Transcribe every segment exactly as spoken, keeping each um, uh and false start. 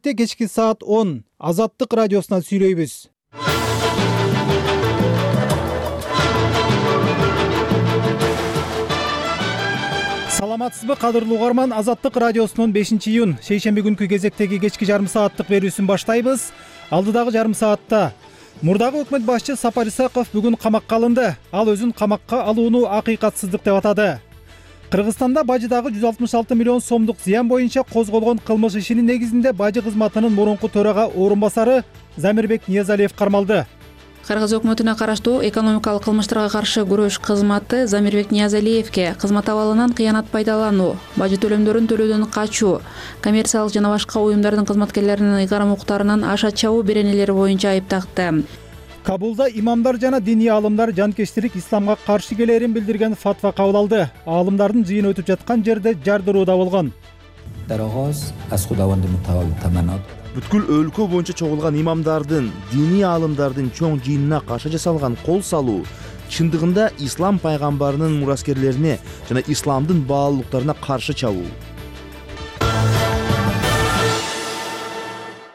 Кечки саат он Азаттык радиосунан сүйлөйбүз. Саламатсызбы, кадырлуу угарман? Азаттык радиосунун бешинчи июнь шейшемби күнкү кезектеги кечки жарым сааттык берүүсүн баштайбыз. Алдыдагы жарым саатта мурдагы өкмөт башчы Сапар Исаков бүгүн камакка алынды. Ал өзүн камакка алууну акыйкатсыздык деп атады. Кыргызстанда бажыдагы жүз алтымыш алты миллион сомдук зыян боюнча козголгон кылмыш ишинин негизинде бажы кызматынын мурунку төрага орун-басары Замирбек Ниязалиев кармалды. Кыргыз өкмөтүнө караштуу экономикалык кылмыштарга каршы күрөш кызматы Замирбек Ниязалиевке кызмат абалынан кыянат пайдалануу, бажы төлөмдөрүн төлөөдөн качуу, коммерциялык жана башка уюмдардын кызматкерлеринин ыйгарым укуктарынан аша чабуу беренелери боюнча айып такты. Кабулда имамдар жана диний аалымдар жанкечтирик исламга каршы келерин билдирген фатва кабыл алды. Аалымдардын жыйыны өтүп жаткан жерде жардыруу да болгон. Бүткүл өлкө боюнча чогулган имамдардын, диний аалымдардын чоң жыйынына каршы жасалган кол салуу чындыгында ислам пайгамбарынын мураскерлерине жана исламдын баалуулуктарына каршы чабуу.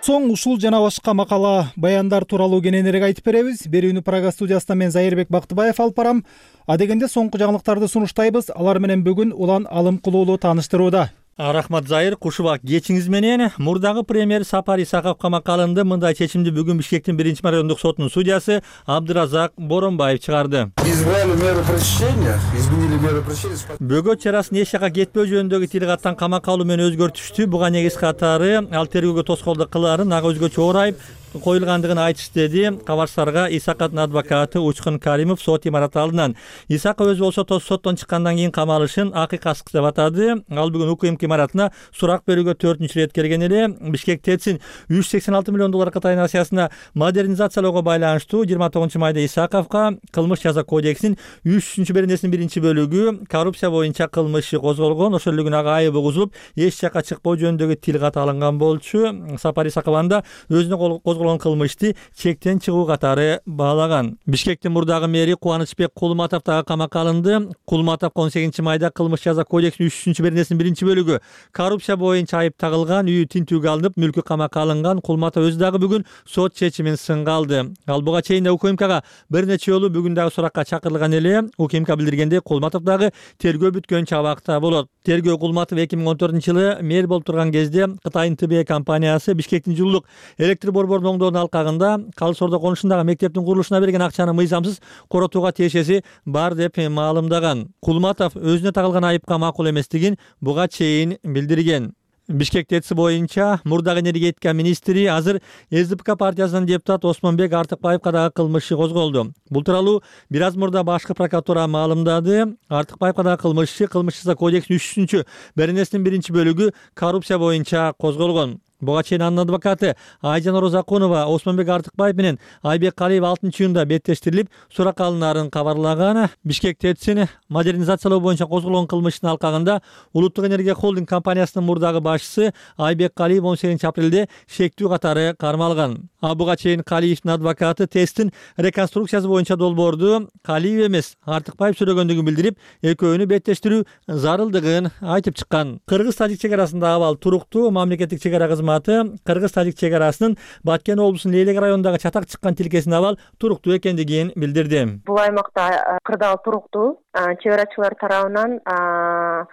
Соң ушул жана башка макала, баяндар тууралуу кененирээк айтып беребиз. Берүүнү Прага студиясынан мен Зайырбек Бактыбаев алып барам. Адегенде соңку жаңылыктарды сунуштайбыз. Алар менен бүгүн Улан Алым Кулуулу тааныштырууда. Рахмат Зайыр, кушубак кечиңиз менен. Мурдагы премьер Сапар Исаков камакка алынды. Мындай чечимди бүгүн Бишкектин биринчи райондук сотунун судьясы Абдыразак Боронбаев чыгарды. Избрали меры пресечения, изменили меры пресечения. Бөгөт чарасын эч жака кетпөө жөнүндөгү тил каттан камакка алуу менен өзгөртүштү. Буга негиз катары ал тергөөгө тоскоолдук кылаарын ага өзгөчө орайып коюлгандыгын айтышты, деди кабарчыларга Исаковдун адвокаты Учкун Каримов сот имараты алдынан. Исаков өзү болсо соттон чыккандан кийин камалышын акыйкатсыз деп атады. Ал бүгүн УКМК имаратына сурак берүүгө төртүнчү ирет келген эле. Бишкек ТЭЦин үч жүз сексен алты миллион доллар катайын акциясына модернизациялоого байланыштуу жыйырма тогузунчу майда Исаковго кылмыш жаза кодексинин үч жүзүнчү беренесинин биринчи бөлүгү коррупция боюнча кылмыш иши козголгон. Ошол эле күнү ага айып угузулуп, эч жака чыкпоо жөнүндөгү тил кат алынган болчу. Сапар Исаков анда өзүнө козголгон кылмышты чектен чыгуу катары баалаган. Бишкектин мурдагы мэри Кубанычбек Кулматов дагы камакка алынды. Кулматов он сегизинчи майда кылмыш жаза кодексинин үч жүзүнчү беренесинин биринчи бөлүгү коррупция боюнча айып тагылган, үйү тинтүүгө алынып, мүлкү камакка алынган. Кулматов өзү дагы бүгүн сот чечимин сынга алды. Ал буга чейин да УКМКга бир нече жолу бүгүн дагы суракка чакырылган эле. УКМК билдиргендей, Кулматов дагы тергөө бүткөнчө абакта болот. Тергөө Кулматов эки миң он төртүнчү жылы мэр болуп турган кезде Кытайдын Тэ Бэ компаниясы Бишкектин жылуулук электр борборунун оңдоонун алкагында Калыс Ордо конушундагы мектептин курулушуна берген акчаны мыйзамсыз коротууга тиешеси бар деп маалымдаган. Кулматов өзүнө тагылган айыпка макул эместигин буга чейин билдирген. Бишкек ТЭЦ боюнча мурдагы энергетика министри, азыр Эс Ди Пи Ка партиясынын депутаты Осмонбек Артыкбаевга дагы кылмыш иши козголду. Бул тууралуу бир аз мурда башкы прокуратура маалымдады. Артыкбаевга дагы кылмыш иши кылмыш жаза кодексинин үч жүзүнчү беренесинин биринчи бөлүгү коррупция боюнча козголгон. Буга чейин анын адвокаты Айжан Орозакунова Осмонбек Артыкбаев менен Айбек Калиев алтынчы июнда беттештирилип, суракка алынаарын кабарлаган. Бишкек ТЭЦин модернизациялоо боюнча козголгон кылмыштын алкагында Улуттук энергия холдинг компаниясынын мурдагы башчысы Айбек Калиев он сегизинчи апрелде шектүү катары кармалган. А буга чейин Калиевдин адвокаты ТЭЦтин реконструкциясы боюнча долбоорду Калиев эмес Артыкбаев сүрөгөндүгүн билдирип, экөөнү беттештирүү зарылдыгын айтып чыккан. Кыргыз-Тажик чек арасындагы абал туруктуу. Мамлекеттик чек ара кызматы Кыргыз-Тажик чек арасынын Баткен облусунун Лейлек районундагы чатак чыккан тилкесине абал туруктуу экендигин билдирди. Бул аймакта кырдаал туруктуу. Чек арачылар тарабынан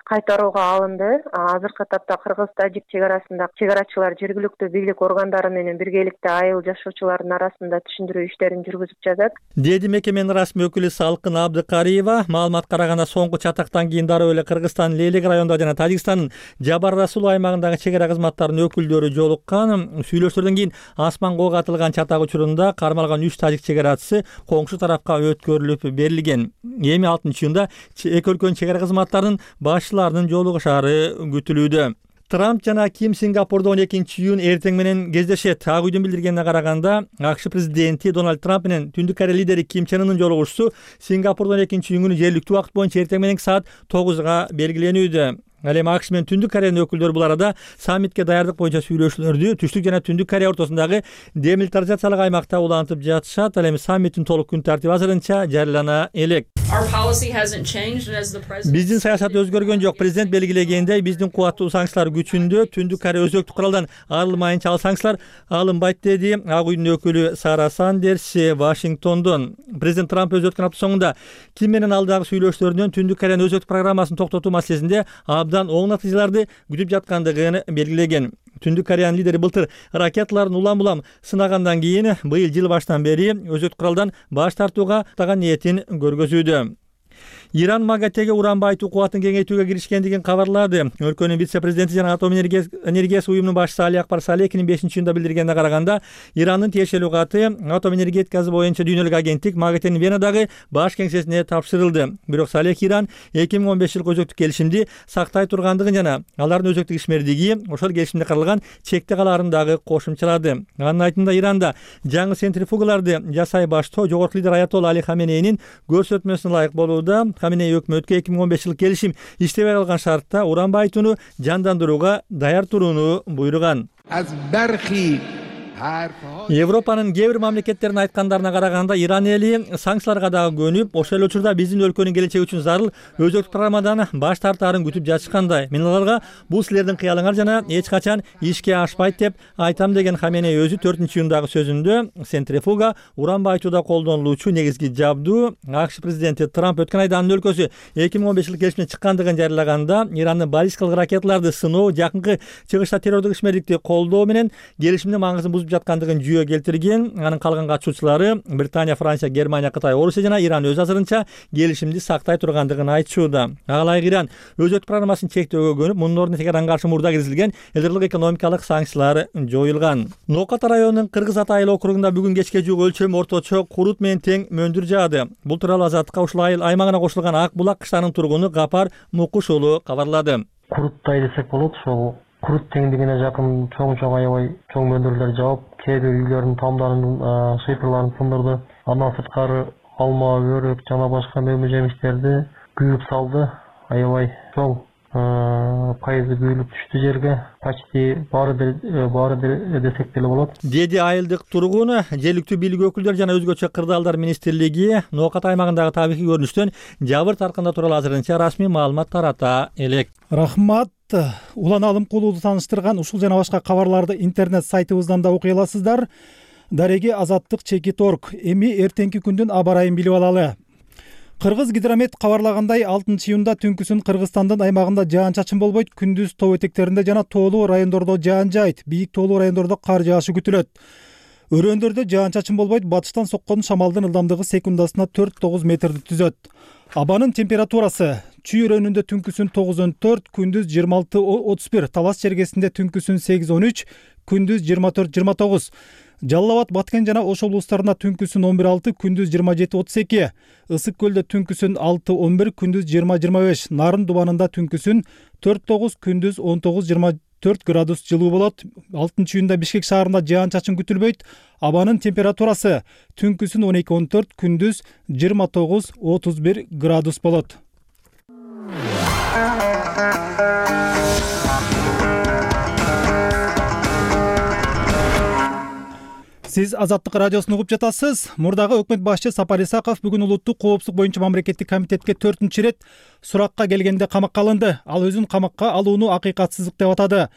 кайтарууга алынды. Азыркы тапта Кыргыз-Тажик чек арасында чек арачылар жергиликтүү бийлик органдары менен биргеликте айыл жашоочулардын арасында түшүндүрүү иштерин жүргүзүп жатат, деди мекеменин расмий өкүлү Салкын Абдыкариева. Маалымат караганда соңку чатактан кийин дароо эле Кыргызстандын Лейлек районунда жана Тажикстандын Жабар Расул аймагындагы чек ара кызматтарынын өкүлдөрү жолуккан. Сүйлөшүүлөрдөн кийин асман коого атылган чатак учурунда кармалган үч тажик чек арачысы коңшу тарафка өткөрүлүп берилген. Эми алтынчы июнда эки өлкөнүн чек ара кызматтарынын башчыларынын жолугушаары күтүлүүдө. Трамп жана Ким Сингапурда он экинчи июнь эртең менен кездешет. Ак үйдүн билдиргенине караганда, АКШ президенти Дональд Трамп менен Түндүк Корея лидери Ким Чен Ынын жолугушуусу Сингапурда он экинчи июнь күнү жергиликтүү убакыт боюнча эртең менен саат тогузга белгиленүүдө. Ал эми АКШ менен Түндүк Кореянын өкүлдөрү бул арада саммитке даярдык боюнча сүйлөшүүлөрдү Түштүк жана Түндүк Корея ортосундагы демилитаризациялык аймакта улантып жатышат. Ал эми саммиттин толук күн тартиби азырынча жарыялана элек. Our policy hasn't changed, and as the president Биздин саясат өзгөргөн жок. Президент белгилегендей, биздин кубаттуу санкциялар күчүндө. Түндүк Корея өзөктүк куралдан арылмайынча ал санкциялар алынбайт деди Ак үйдүн өкүлү Сара Сандерс Вашингтондон. Президент Трамп өз өткөн апта соңунда Ким менен алдагы сүйлөшүүлөрдөн Түндүк Кореянын өзөктүк программасын токтотуу маселесинде абдан оң натыйжаларды күтүп жаткандыгын белгилеген. Түндүк Кореянын лидери былтыр ракеталарын улам-улам сынагандан кийин быйыл жыл баштан бери өзөктүк куралдан баш тартууга таган ниетин көргөзүүдө. Иран МАГАТЭге уран байытуу кубатын кеңейтүүгө киришкендигин кабарлады. Өлкөнүн вице-президенти жана атом энергиясы уюмунун башчысы Али Акбар Салехинин бешинчи июнда билдиргенине караганда, Ирандын тиешелүү каты атом энергетикасы боюнча дүйнөлүк агенттик МАГАТЭнин Венадагы баш кеңсесине тапшырылды. Бирок Салех Иран эки миң он беш жылкы өзөктүк келишимди сактай тургандыгын жана алардын өзөктүк ишмердиги ошол келишимде каралган чекте калаарын дагы кошумчалады. Анын айтымында Иранда жаңы центрифугаларды жасай баштоо жогорку лидер Аятолла Али Хаменейнин көрсөтмөсүнө ылайык болууда. Хаменей өкмөткө эки миң он беш жылкы келишим иштебей калган шартта уран байытууну жандандырууга даяр турууну буйруган. Европанын кээ бир мамлекеттеринин айткандарына караганда, Иран эли санкцияларга дагы көнүп, ошол эле учурда биздин өлкөнүн келечеги үчүн зарыл өзөктүк программадан баш тартаарын күтүп жатышкандай. Мен аларга бул силердин кыялыңар жана эч качан ишке ашпайт деп айтам деген Хаменей өзү төртүнчү июндагы сөзүндө центрифуга уран байытууда колдонулуучу негизги жабдуу. АКШ президенти Трамп өткөн айда анын өлкөсү эки миң он беш жылкы келишимден чыккандыгын жарыялаганда, Ирандын баллистикалык ракеталарды сыноо, жакынкы чыгышта террордук ишмердикти колдоо менен келишимдин маңызын бузуп жаткандыгын жүйө келтирген. Анын калган катышуучулары Британия, Франция, Германия, Кытай, Орусия жана Иран өз азырынча келишимди сактай тургандыгын айтышууда. Ага ылайык Иран өзөктүк программасын чектөөгө көнүп, мунун ордуна Теheranга каршы мурда киргизилген элдерлик экономикалык санкциялар жоюлган. Ноката районунун Кыргыз Ата айыл округунда бүгүн кечке жук өлчөмү орточо курут менен тең мөндүр жаады. Бул тууралуу Азаттыкка ушул айыл аймагына кошулган Ак булак кыштагынын тургуну Гапар Мукуш уулу кабарлады. Куруттай десек болот, ошол курут теңдигине жакын чоң-чоң аябай чоң мөндүрлөр жаап, кээ бир үйлөрдүн тамдарын, шыйпырларын сындырды. Андан сырткары алма, өрөк жана башка мөмө жемиштерди күйүп салды. Аябай чоң пайызы күйүлүп түштү жерге. Почти баары баары десек деле болот. Деди айылдык тургун. Жергиликтүү бийлик өкүлдөрү жана өзгөчө кырдаалдар министрлиги Нокат аймагындагы табигый көрүнүштөн жабыр таркында тууралуу азырынча расмий маалымат тарата элек. Рахмат. Улан Алым Кулууду тааныштырган ушул жана башка кабарларды интернет сайтыбыздан да окуй аласыздар. Дареги Азаттык чекит точка орг. Эми эртеңки күндүн аба ырайын билип алалы. Кыргыз гидромет кабарлагандай, алтынчы июнда түнкүсүн Кыргызстандын аймагында жаан-чачын болбойт, күндүз тоо этектеринде жана тоолуу райондордо жаан жаайт, бийик тоолуу райондордо кар жаашы күтүлөт. Өрөөндөрдө жаан-чачын болбойт, батыштан соккон шамалдын ылдамдыгы секундасына төрт тогуз метрди түзөт. Абанын температурасы: Чүй өрөөнүндө түнкүсүн тогуз он төрт, күндүз жыйырма алты отуз бир, Талас чергесинде түнкүсүн сегиз он үч, күндүз жыйырма төрт жыйырма тогуз. Жалал Абад, Баткен жана Ош облустарында түнкүсүн он бир алты, күндүз жыйырма жети отуз эки. Ысык көлдө түнкүсүн алты он бир, күндүз жыйырма жыйырма беш. Нарын Дубанында түнкүсүн төрт тогуз, күндүз он тогуз жыйырма төрт градус жылуу болот. алтынчы июнда Бишкек шаарында жаан-чачын күтүлбөйт. Абанын температурасы: түнкүсүн он эки он төрт, күндүз жыйырма тогуз отуз бир градус болот. Сиз Азаттык радиосун угуп жатасыз. Мурдагы өкмөт башчы Сапар Исаков бүгүн улуттук коопсуздук боюнча мамлекеттик комитетке төртүнчү ирет суракка келгенде камакка алынды. Ал өзүн камакка алууну акыйкатсыздык деп атады.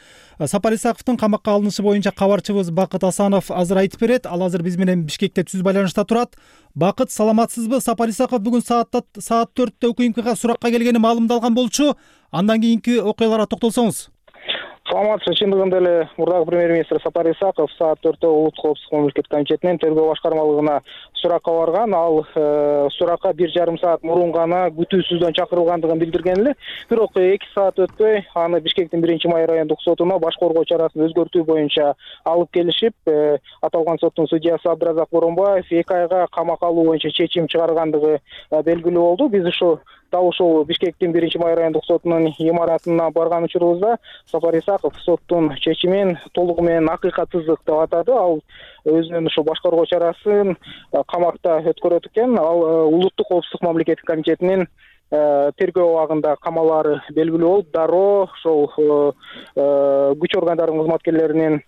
Сапар Исаковдун камакка алынышы боюнча кабарчыбыз Бакыт Асанов азыр айтып берет. Ал азыр биз менен Бишкекте түз байланышта турат. Бакыт, саламатсызбы? Сапар Исаков бүгүн саатта саат төрттө УКМКга суракка келгени маалымдалган болчу. Андан кийинки окуяларга токтолсоңуз. Саламатсыз, чындыгында эле мурдагы премьер-министр Сапар Исаков саат төрттө улуттук коопсуздук мамлекеттик комитетинин тергөө башкармалыгына суракка барган. Ал суракка бир жарым саат мурун гана күтүүсүздөн чакырылгандыгын билдирген эле. Бирок эки саат өтпөй аны Бишкектин биринчи май райондук сотуна баш коргоо чарасын өзгөртүү боюнча алып келишип, аталган соттун судьясы Абдыразак Боронбаев эки айга камакка алуу боюнча чечим чыгаргандыгы белгилүү болду. Биз ушу дал ушул Бишкектин биринчи май райондук сотунун имаратына барган учурубузда Сапар Исаков соттун чечимин толугу менен акыйкатсыздык деп атады. Ал өзүнүн ушул баш коргоо чарасын камакта өткөрөт экен. Ал улуттук коопсуздук мамлекеттик комитетинин тергөө абагында камалары белгилүү болуп, дароо ошол күч органдарынын кызматкерлеринин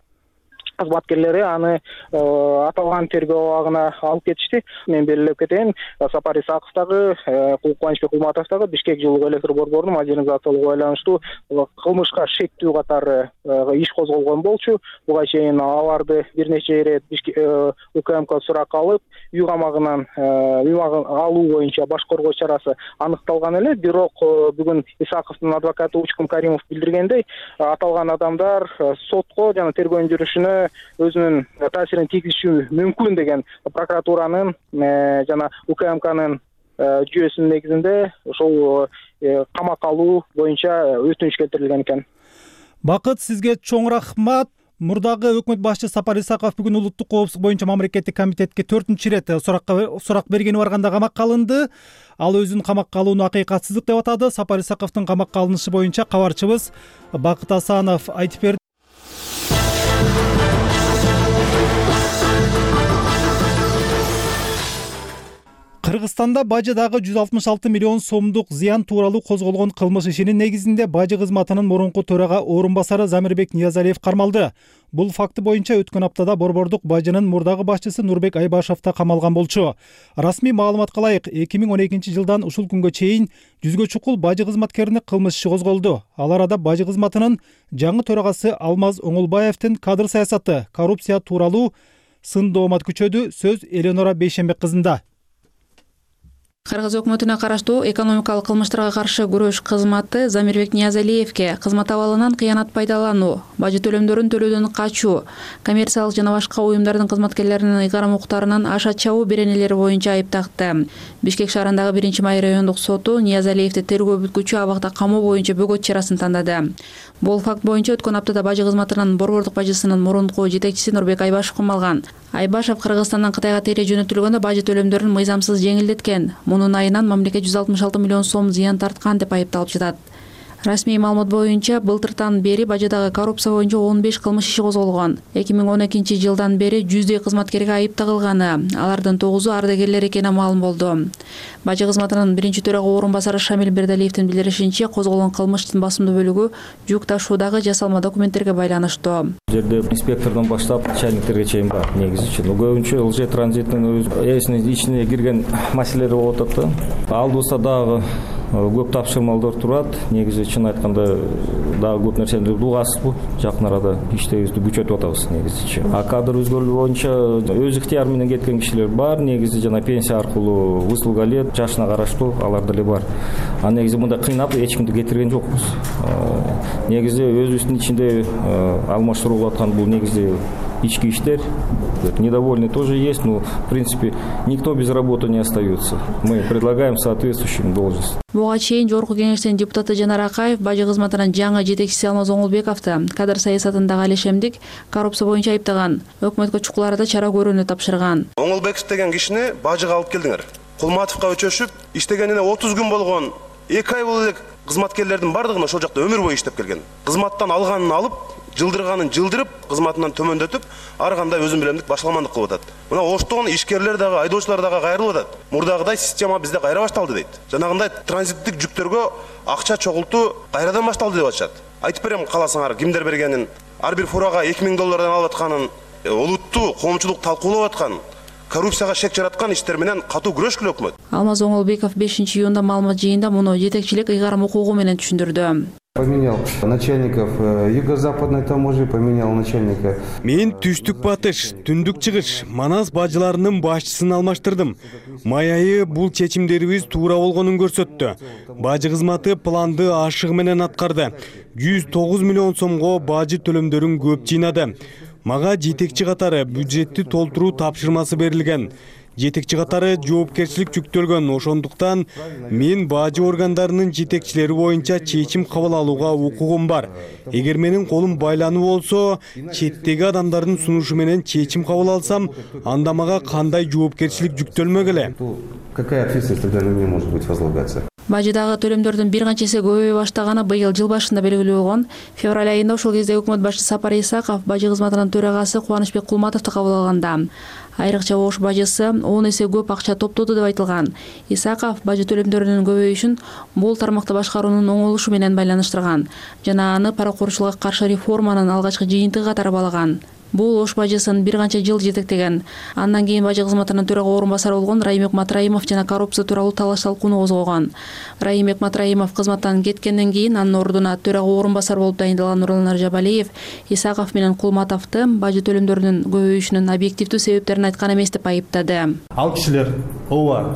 кызматкерлери аны аталган тергөө абагына алып кетишти. Мен белгилеп кетейин, Сапар Исаков дагы, Кубанычбек Кулматов дагы Бишкек жылуу электр борборунун модернизациялоого байланыштуу кылмышка шектүү катары иш козголгон болчу. Буга чейин аларды бир нече ирет УКМК суракка алып, үй камагынан үй алуу боюнча баш коргоо чарасы аныкталган эле. Бирок бүгүн Исаковдун адвокаты Учкун Каримов билдиргендей, аталган адамдар сотко жана тергөө жүрүшүнө өзүнүн таасирин тийгизиши мүмкүн деген прокуратуранын жана УКМКнын жүйөсүнүн негизинде ошол камакка алуу боюнча өтүнүч келтирилген экен. Бакыт, сизге чоң рахмат. Мурдагы өкмөт башчы Сапар Исаков бүгүн улуттук коопсуздук боюнча мамлекеттик комитетке төртүнчү ирет суракка сурак бергени барганда камакка алынды. Ал өзүн камакка алууну акыйкатсыздык деп атады. Сапар Исаковдун камакка алынышы боюнча кабарчыбыз Бакыт Асанов айтып берди. Кыргызстанда бажы дагы жүз алтымыш алты миллион сомдук зыян тууралуу козголгон кылмыш ишинин негизинде бажы кызматынын мурунку төрага орун басары Замирбек Ниязалиев кармалды. Бул факты боюнча өткөн аптада борбордук бажынын мурдагы башчысы Нурбек Айбашев да камалган болчу. Расмий маалыматка ылайык, эки миң он экинчи жылдан ушул күнгө чейин жүзгө чукул бажы кызматкерине кылмыш иши козголду. Ал арада бажы кызматынын жаңы төрагасы Алмаз Оңолбаевдин кадр саясаты, коррупция тууралуу сын доомат күчөдү. Сөз Эленора Бейшембек кызында. Кыргыз өкмөтүнө караштуу экономикалык кылмыштарга каршы күрөш кызматы Замирбек Ниязалиевке кызмат абалынан кыянат пайдалануу, бажы төлөмдөрүн төлөөдөн качуу, коммерциялык жана башка уюмдардын кызматкерлеринин ыйгарым укуктарынан аша чабуу беренелери боюнча айып такты. Бишкек шаарындагы биринчи май райондук соту Ниязалиевди тергөө бүткүчү абакта камоо боюнча бөгөт чарасын тандады. Бул факт боюнча өткөн аптада бажы кызматынын борбордук бажысынын мурунку жетекчиси Нурбек Айбашев камалган. Айбашев Кыргызстандан Кытайга тере жөнөтүлгөндө бажы төлөмдөрүн мыйзамсыз жеңилдеткен. Мунун айынан мамлекет жүз алтымыш алты миллион сом зыян тарткан деп айыпталып жатат. Расмий маалымат боюнча былтыртан бери бажыдагы коррупция боюнча он беш кылмыш иши козголгон. эки миң он экинчи жылдан бери жүздөй кызматкерге айып тагылганы, алардын тогузу ардагерлер экени маалым болду. Бажы кызматынын биринчи төрага орун басары Шамил Бердалиевдин билдиришинче, козголгон кылмыштын басымдуу бөлүгү жүк ташуудагы жасалма документтерге байланыштуу. Жерде инспектордон баштап начальниктерге чейин бар негизи. Көбүнчө ЛЖ транзиттин өзүнүн ичине кирген маселелер болуп атат да. Алдыбызда дагы көп тапшырмалдар турат. Негизи чын айтканда дагы көп нерсени угасызбы. Жакын арада иштебизди күчөтүп атабыз негизичи. А кадр өзгөрүү боюнча өз ыктыяры менен кеткен кишилер бар. Негизи жана пенсия аркылуу высылга эле жашына караштуу алар деле бар. А негизи мындай кыйнап эч кимди кетирген жокпуз. Негизи өзүбүздүн ичинде алмаштыруу болуп аткан бул негизи ички иштер. Недовольные тоже есть, но в принципе никто без работы не остается. Мы предлагаем соответствующим должность. Буга чейин Жогорку Кеңештин депутаты Жанар Акаев бажы кызматынын жаңы жетекчиси Алмаз Оңолбековду кадр саясатындагы алешемдик коррупция боюнча айыптаган. Өкмөткө чукул арада чара көрүүнү тапшырган. Оңолбеков деген кишини бажыга алып келдиңер. Кулматовго өчөшүп, иштегенине отуз күн болгон, эки ай болуп элек кызматкерлердин бардыгын ошол жакта өмүр бою иштеп келген. Кызматтан алганын алып, жылдырганын жылдырып, кызматынан төмөндөтүп, ар кандай өзүн билемдик башаламандык кылып атат. Мына оштон ишкерлер дагы, айдоочулар дагы кайрылып атат. Мурдагыдай система бизде кайра башталды дейт. Жанагындай транзиттик жүктөргө акча чогултуу кайрадан башталды деп атышат. Айтып берем каласыңар, кимдер бергенин, ар бир фурага эки миң доллардан алып атканын, олуттуу коомчулук талкуулап аткан, коррупцияга шек жараткан иштер менен катуу күрөшкүлө өкмөт. Алмаз Оңолбеков бешинчи июнда маалымат жыйында муну жетекчилик ыйгарым укугу менен түшүндүрдү. Поменял начальников юго-западной таможни, поменял начальника. Мен түштүк батыш, түндүк чыгыш, Манас бажыларынын башчысын алмаштырдым. Май айы бул чечимдерибиз туура болгонун көрсөттү. Бажы кызматы планды ашыгы менен аткарды. жүз тогуз миллион сомго бажы төлөмдөрүн көп жыйнады. Мага жетекчи катары бюджетти толтуруу тапшырмасы берилген. Жетекчи катары жоопкерчилик жүктөлгөн. Ошондуктан мен бажы органдарынын жетекчилери боюнча чечим кабыл алууга укугум бар. Эгер менин колум байлануу болсо, четтеги адамдардын сунушу менен чечим кабыл алсам, анда мага кандай жоопкерчилик жүктөлмөк эле? Какая ответственность тогда на меня может быть возлагаться? Бажыдагы төлөмдөрдүн бир канча эсе көбөйө баштаганы быйыл жыл башында белгилүү болгон. Февраль айында ошол кезде өкмөт башчысы Сапар Исаков бажы кызматынын төрагасы Кубанычбек Кулматовду кабыл алганда. Айрыкча Ош бажысы он эсе көп акча топтоду деп айтылган. Исаков бажы төлөмдөрүнүн көбөйүшүн бул тармакты башкаруунун оңолушу менен байланыштырган жана аны паракорчулукка каршы реформанын алгачкы жыйынтыгы катары баалаган. Бул Ош бажысын бир канча жыл жетектеген. Андан кийин бажы кызматынын төрага орун басары болгон Раимбек Матраимов жана коррупция тууралуу талаш талкууну козгогон. Раимбек Матраимов кызматтан кеткенден кийин анын ордуна төрага орун басар болуп дайындалган Нурлан Жабалиев Исаков менен Кулматовду бажы төлөмдөрүнүн көбөйүшүнүн объективдүү себептерин айткан эмес деп айыптады. Ал кишилер ооба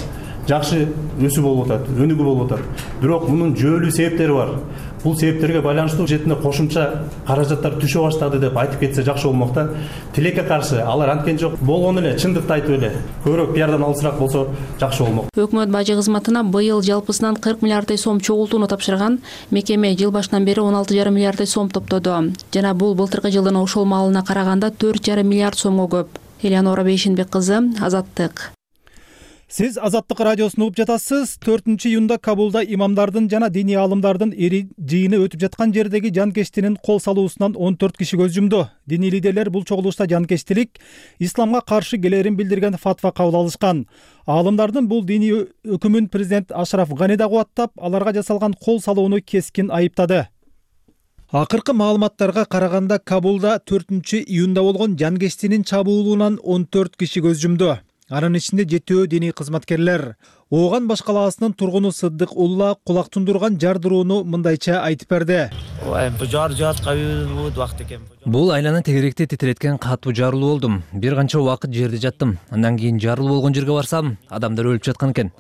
жакшы өсүү болуп атат, өнүгүү болуп атат. Бирок мунун жүйөлүү себептери бар. Бул себептерге байланыштуу жетинде кошумча каражаттар түшө баштады деп айтып кетсе жакшы болмок да. Тилекке каршы алар анткен жок. Болгон эле чындыкты айтып эле көбүрөөк пиардан алысыраак болсо жакшы болмок. Өкмөт бажы кызматына быйыл жалпысынан кырк миллиарддай сом чогултууну тапшырган. Мекеме жыл башынан бери он алты жарым миллиарддай сом топтоду. Жана бул былтыркы жылдын ошол маалына караганда төрт жарым миллиард сомго көп. Элеонора Бейшенбек кызы, Азаттык. Сиз Азаттык радиосун угуп жатасыз. төртүнчү июнда Кабулда имамдардын жана диний аалымдардын ири жыйыны өтүп жаткан жердеги жанкештинин кол салуусунан он төрт киши көз жумду. Диний лидерлер бул чогулушта жанкештилик, исламга каршы келерин билдирген фатва кабыл алышкан. Аалымдардын бул диний өкүмүн президент Ашраф Гани да кубаттап, аларга жасалган кол салууну кескин айыптады. Акыркы маалыматтарга караганда Кабулда төртүнчү июнда болгон жанкештинин чабуулунан он төрт киши көз жумду. Анын ичинде жетөө диний кызматкерлер. Ооган баш калаасынын тургуну Сыддык Улла кулак тундурган жардырууну мындайча айтып берди. Бул айланы тегеректе титиреткен катуу жарылуу болдум. Бир канча убакыт жерде жаттым. Андан кийин жарылуу болгон жерге барсам, адамдар өлүп жаткан экен.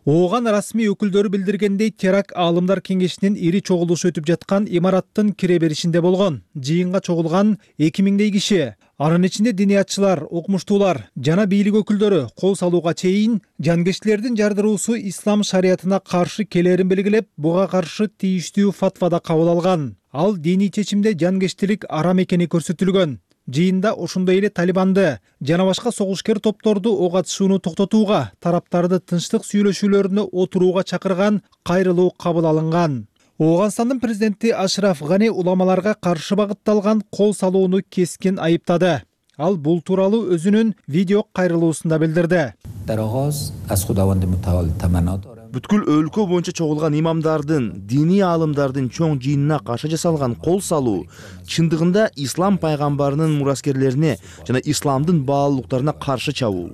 Ооган расмий өкүлдөрү билдиргендей, теракт аалымдар кеңешинин ири чогулушу өтүп жаткан имараттын кире беришинде болгон. Жыйынга чогулган эки миңдей киши. Анын ичинде диниятчылар, окумуштуулар жана бийлик өкүлдөрү кол салууга чейин жанкештилердин жардыруусу ислам шариятына каршы келерин белгилеп, буга каршы тийиштүү фатва да кабыл алган. Ал диний чечимде жанкештилик арам экени көрсөтүлгөн. Жыйында ошондой эле Талибанды жана башка согушкер топторду ок атышууну токтотууга, тараптарды тынчтык сүйлөшүүлөрүнө отурууга чакырган кайрылуу кабыл алынган. Ооганстандын президенти Ашраф Гани уламаларга каршы багытталган кол салууну кескин айыптады. Ал бул тууралуу өзүнүн видео кайрылуусунда билдирди. Бүткүл өлкө боюнча чогулган имамдардын, диний аалымдардын чоң жыйынына каршы жасалган кол салуу чындыгында ислам пайгамбарынын мураскерлерине жана исламдын баалуулуктарына каршы чабуу.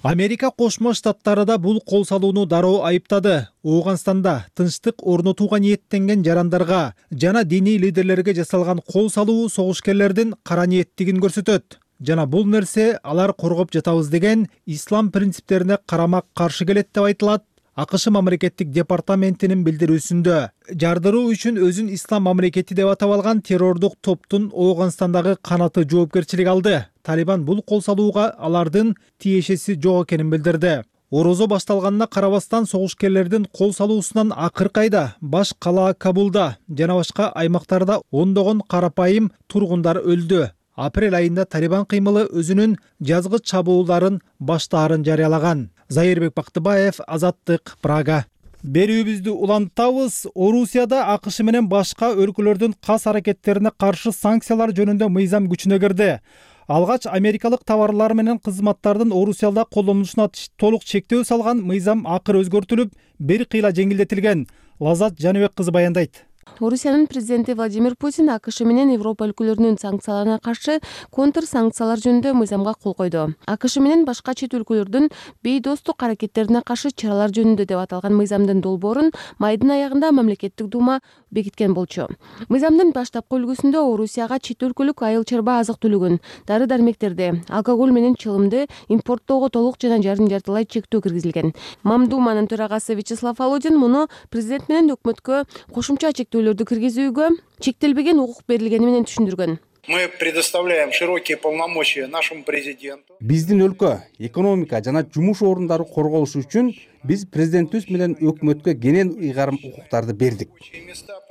Америка Кошмо Штаттары да бул кол салууну дароо айыптады. Ооганстанда тынчтык орнотууга ниеттенген жарандарга жана диний лидерлерге жасалган кол салуу согушкерлердин кара ниеттигин көрсөтөт. Жана бул нерсе алар коргоп жатабыз деген ислам принциптерине карама каршы келет деп айтылат АКШ мамлекеттик департаментинин билдирүүсүндө. Жардыруу үчүн өзүн ислам мамлекети деп атап алган террордук топтун Ооганстандагы канаты жоопкерчилик алды. Талибан бул кол салууга алардын тиешеси жок экенин билдирди. Орозо башталганына карабастан согушкерлердин кол салуусунан акыркы айда баш калаа Кабулда жана башка аймактарда ондогон карапайым тургундар өлдү. Апрель айында Талибан кыймылы өзүнүн жазгы чабуулдарын баштаарын жарыялаган. Зайырбек Бактыбаев, Азаттык, Прага. Берүүбүздү улантабыз. Орусияда АКШ менен башка өлкөлөрдүн кас аракеттерине каршы санкциялар жөнүндө мыйзам күчүнө кирди. Алгач америкалык товарлар менен кызматтардын Орусияда колдонулушуна толук чектөө салган мыйзам акыр өзгөртүлүп, бир кыйла жеңилдетилген. Лазат Жаныбек кызы баяндайт. Орусиянын президенти Владимир Путин АКШ менен Европа өлкөлөрүнүн санкцияларына каршы контр санкциялар жөнүндө мыйзамга кол койду. АКШ менен башка чет өлкөлөрдүн бейдостук аракеттерине каршы чаралар жөнүндө деп аталган мыйзамдын долбоорун майдын аягында мамлекеттик дума бекиткен болчу. Мыйзамдын баштапкы үлгүсүндө Орусияга чет өлкөлүк айыл чарба азык түлүгүн, дары дармектерди, алкоголь менен чылымды импорттоого толук жана жарым жартылай чектөө киргизилген. Мамдуманын төрагасы Вячеслав Володин муну президент менен өкмөткө кошумча чектөөлөрдү киргизүүгө чектелбеген укук берилгени менен түшүндүргөн. Мы предоставляем широкие полномочия нашему президенту. Биздин өлкө экономика жана жумуш орундары корголушу үчүн биз президентибиз менен өкмөткө кенен ыйгарым укуктарды бердик.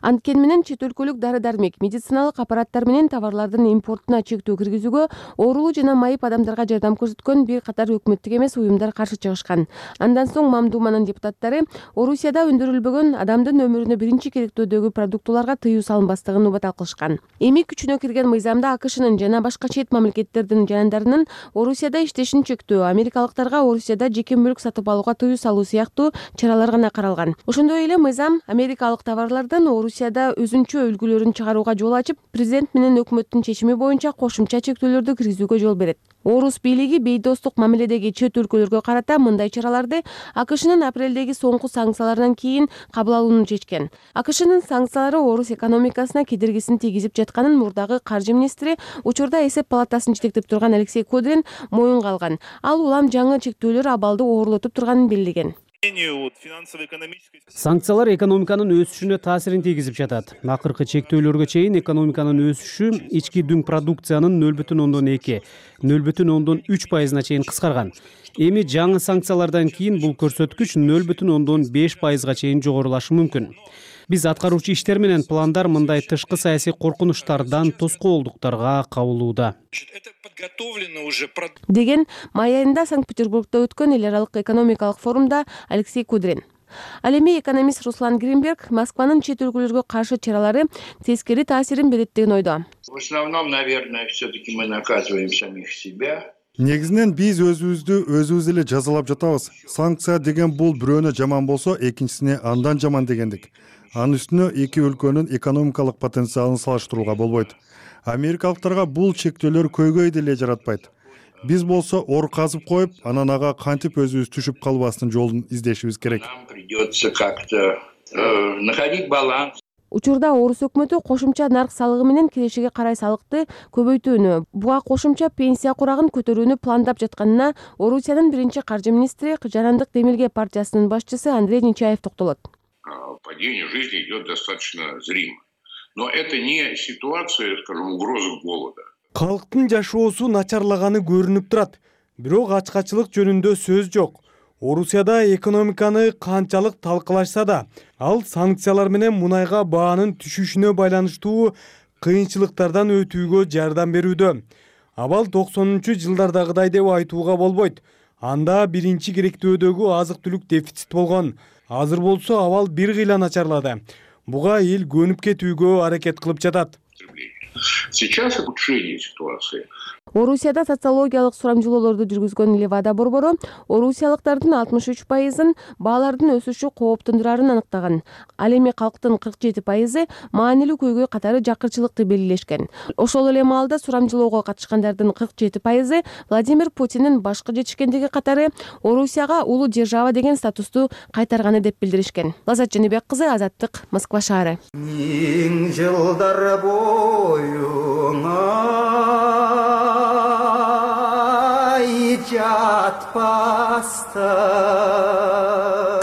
Анткени менен чет өлкөлүк дары дармек, медициналык аппараттар менен товарлардын импортуна чектөө киргизүүгө оорулуу жана майып адамдарга жардам көрсөткөн бир катар өкмөттүк эмес уюмдар каршы чыгышкан. Андан соң Мамдуманын депутаттары Орусияда өндүрүлбөгөн адамдын өмүрүнө биринчи керектөөдөгү продуктыларга тыюу салынбастыгын убада кылышкан. Эми күчүнө кирген мыйзамда АКШнын жана башка чет мамлекеттердин жарандарынын Орусияда иштешин чектөө, америкалыктарга Орусияда жеке мүлк сатып алууга тыюу салуу чыгаруу сыяктуу чаралар гана каралган. Ошондой эле мыйзам америкалык товарлардан Орусияда өзүнчө үлгүлөрүн чыгарууга жол ачып, президент менен өкмөттүн чечими боюнча кошумча чектөөлөрдү киргизүүгө жол берет. Орус бийлиги бейдостук мамиледеги чет өлкөлөргө карата мындай чараларды АКШнын апрелдеги соңку санкцияларынан кийин кабыл алууну чечкен. АКШнын санкциялары Орус экономикасына кедергисин тийгизип жатканын мурдагы каржы министри, учурда эсеп палатасын жетектеп турган Алексей Кудрин моюнга алган. Ал улам жаңы чектөөлөр абалды оорлотуп турганын белгилеген. Санкциялар экономиканын өсүшүнө таасирин тийгизип жатат. Акыркы чектөөлөргө чейин экономиканын өсүшү ички дүң продукциянын нөл бүтүн ондон эки, нөл бүтүн ондон үч пайызына чейин кыскарган. Эми жаңы санкциялардан кийин бул көрсөткүч нөл бүтүн ондон беш пайызга чейин жогорулашы мүмкүн. Биз аткаруучу иштер менен пландар мындай тышкы саясий коркунучтардан, тоскоолдуктарга кабылууда. Деген май айында Санкт-Петербургда өткөн эл аралык экономикалык форумда Алексей Кудрин. Ал эми экономист Руслан Гринберг Москванын чет өлкөлөргө каршы чаралары тескери таасирин берет деген ойдо. В основном, наверное, все-таки мы наказываем самих себя. Негизинен биз өзүбүздү өзүбүз эле жазалап жатабыз. Санкция деген бул бирөөнө жаман болсо, экинчисине андан жаман дегендик. Анын үстүнө эки өлкөнүн экономикалык потенциалын салыштырууга болбойт. Америкалыктарга бул чектөөлөр көйгөй деле жаратпайт. Биз болсо ор казып коюп, анан ага кантип өзүбүз түшүп калбастын жолун издешибиз керек. Придется как-то находить баланс. Учурда Орус өкмөтү кошумча нарк салыгы менен келечеге карай салыкты көбөйтүүнү, буга кошумча пенсия курагын көтөрүүнү пландап жатканына Орусиянын биринчи каржы министри Жарандык Демилге партиясынын башчысы Андрей Нечаев токтолот. Падение жизни идет достаточно зримо. Но это не ситуация, скажем, угрозы голода. Калктын жашоосу начарлаганы көрүнүп турат. Бирок ачкачылык жөнүндө сөз жок. Орусияда экономиканы канчалык талкалашса да, ал санкциялар менен мунайга баанын түшүшүнө байланыштуу кыйынчылыктардан өтүүгө жардам берүүдө. Абал токсонунчу жылдардагыдай деп айтууга болбойт. Анда биринчи керектөөдөгү азык-түлүк дефицит болгон. Азыр болсо абал бир кыйла начарлады. Буга эл көнүп кетүүгө аракет кылып жатат. Сейчас ухудшение ситуации. Орусияда социологиялык сурамжылоолорду жүргүзгөн Левада борбору орусиялыктардын алтымыш үч пайызын баалардын өсүшү кооптондурарын аныктаган. Ал эми калктын кырк жети пайызы маанилүү көйгөй катары жакырчылыкты белгилешкен. Ошол эле маалда сурамжылоого катышкандардын кырк жети пайызы Владимир Путиндин башкы жетишкендиги катары Орусияга улуу держава деген статусту кайтарганы деп билдиришкен. Лазат Жаныбек кызы, Азаттык, Москва шаары.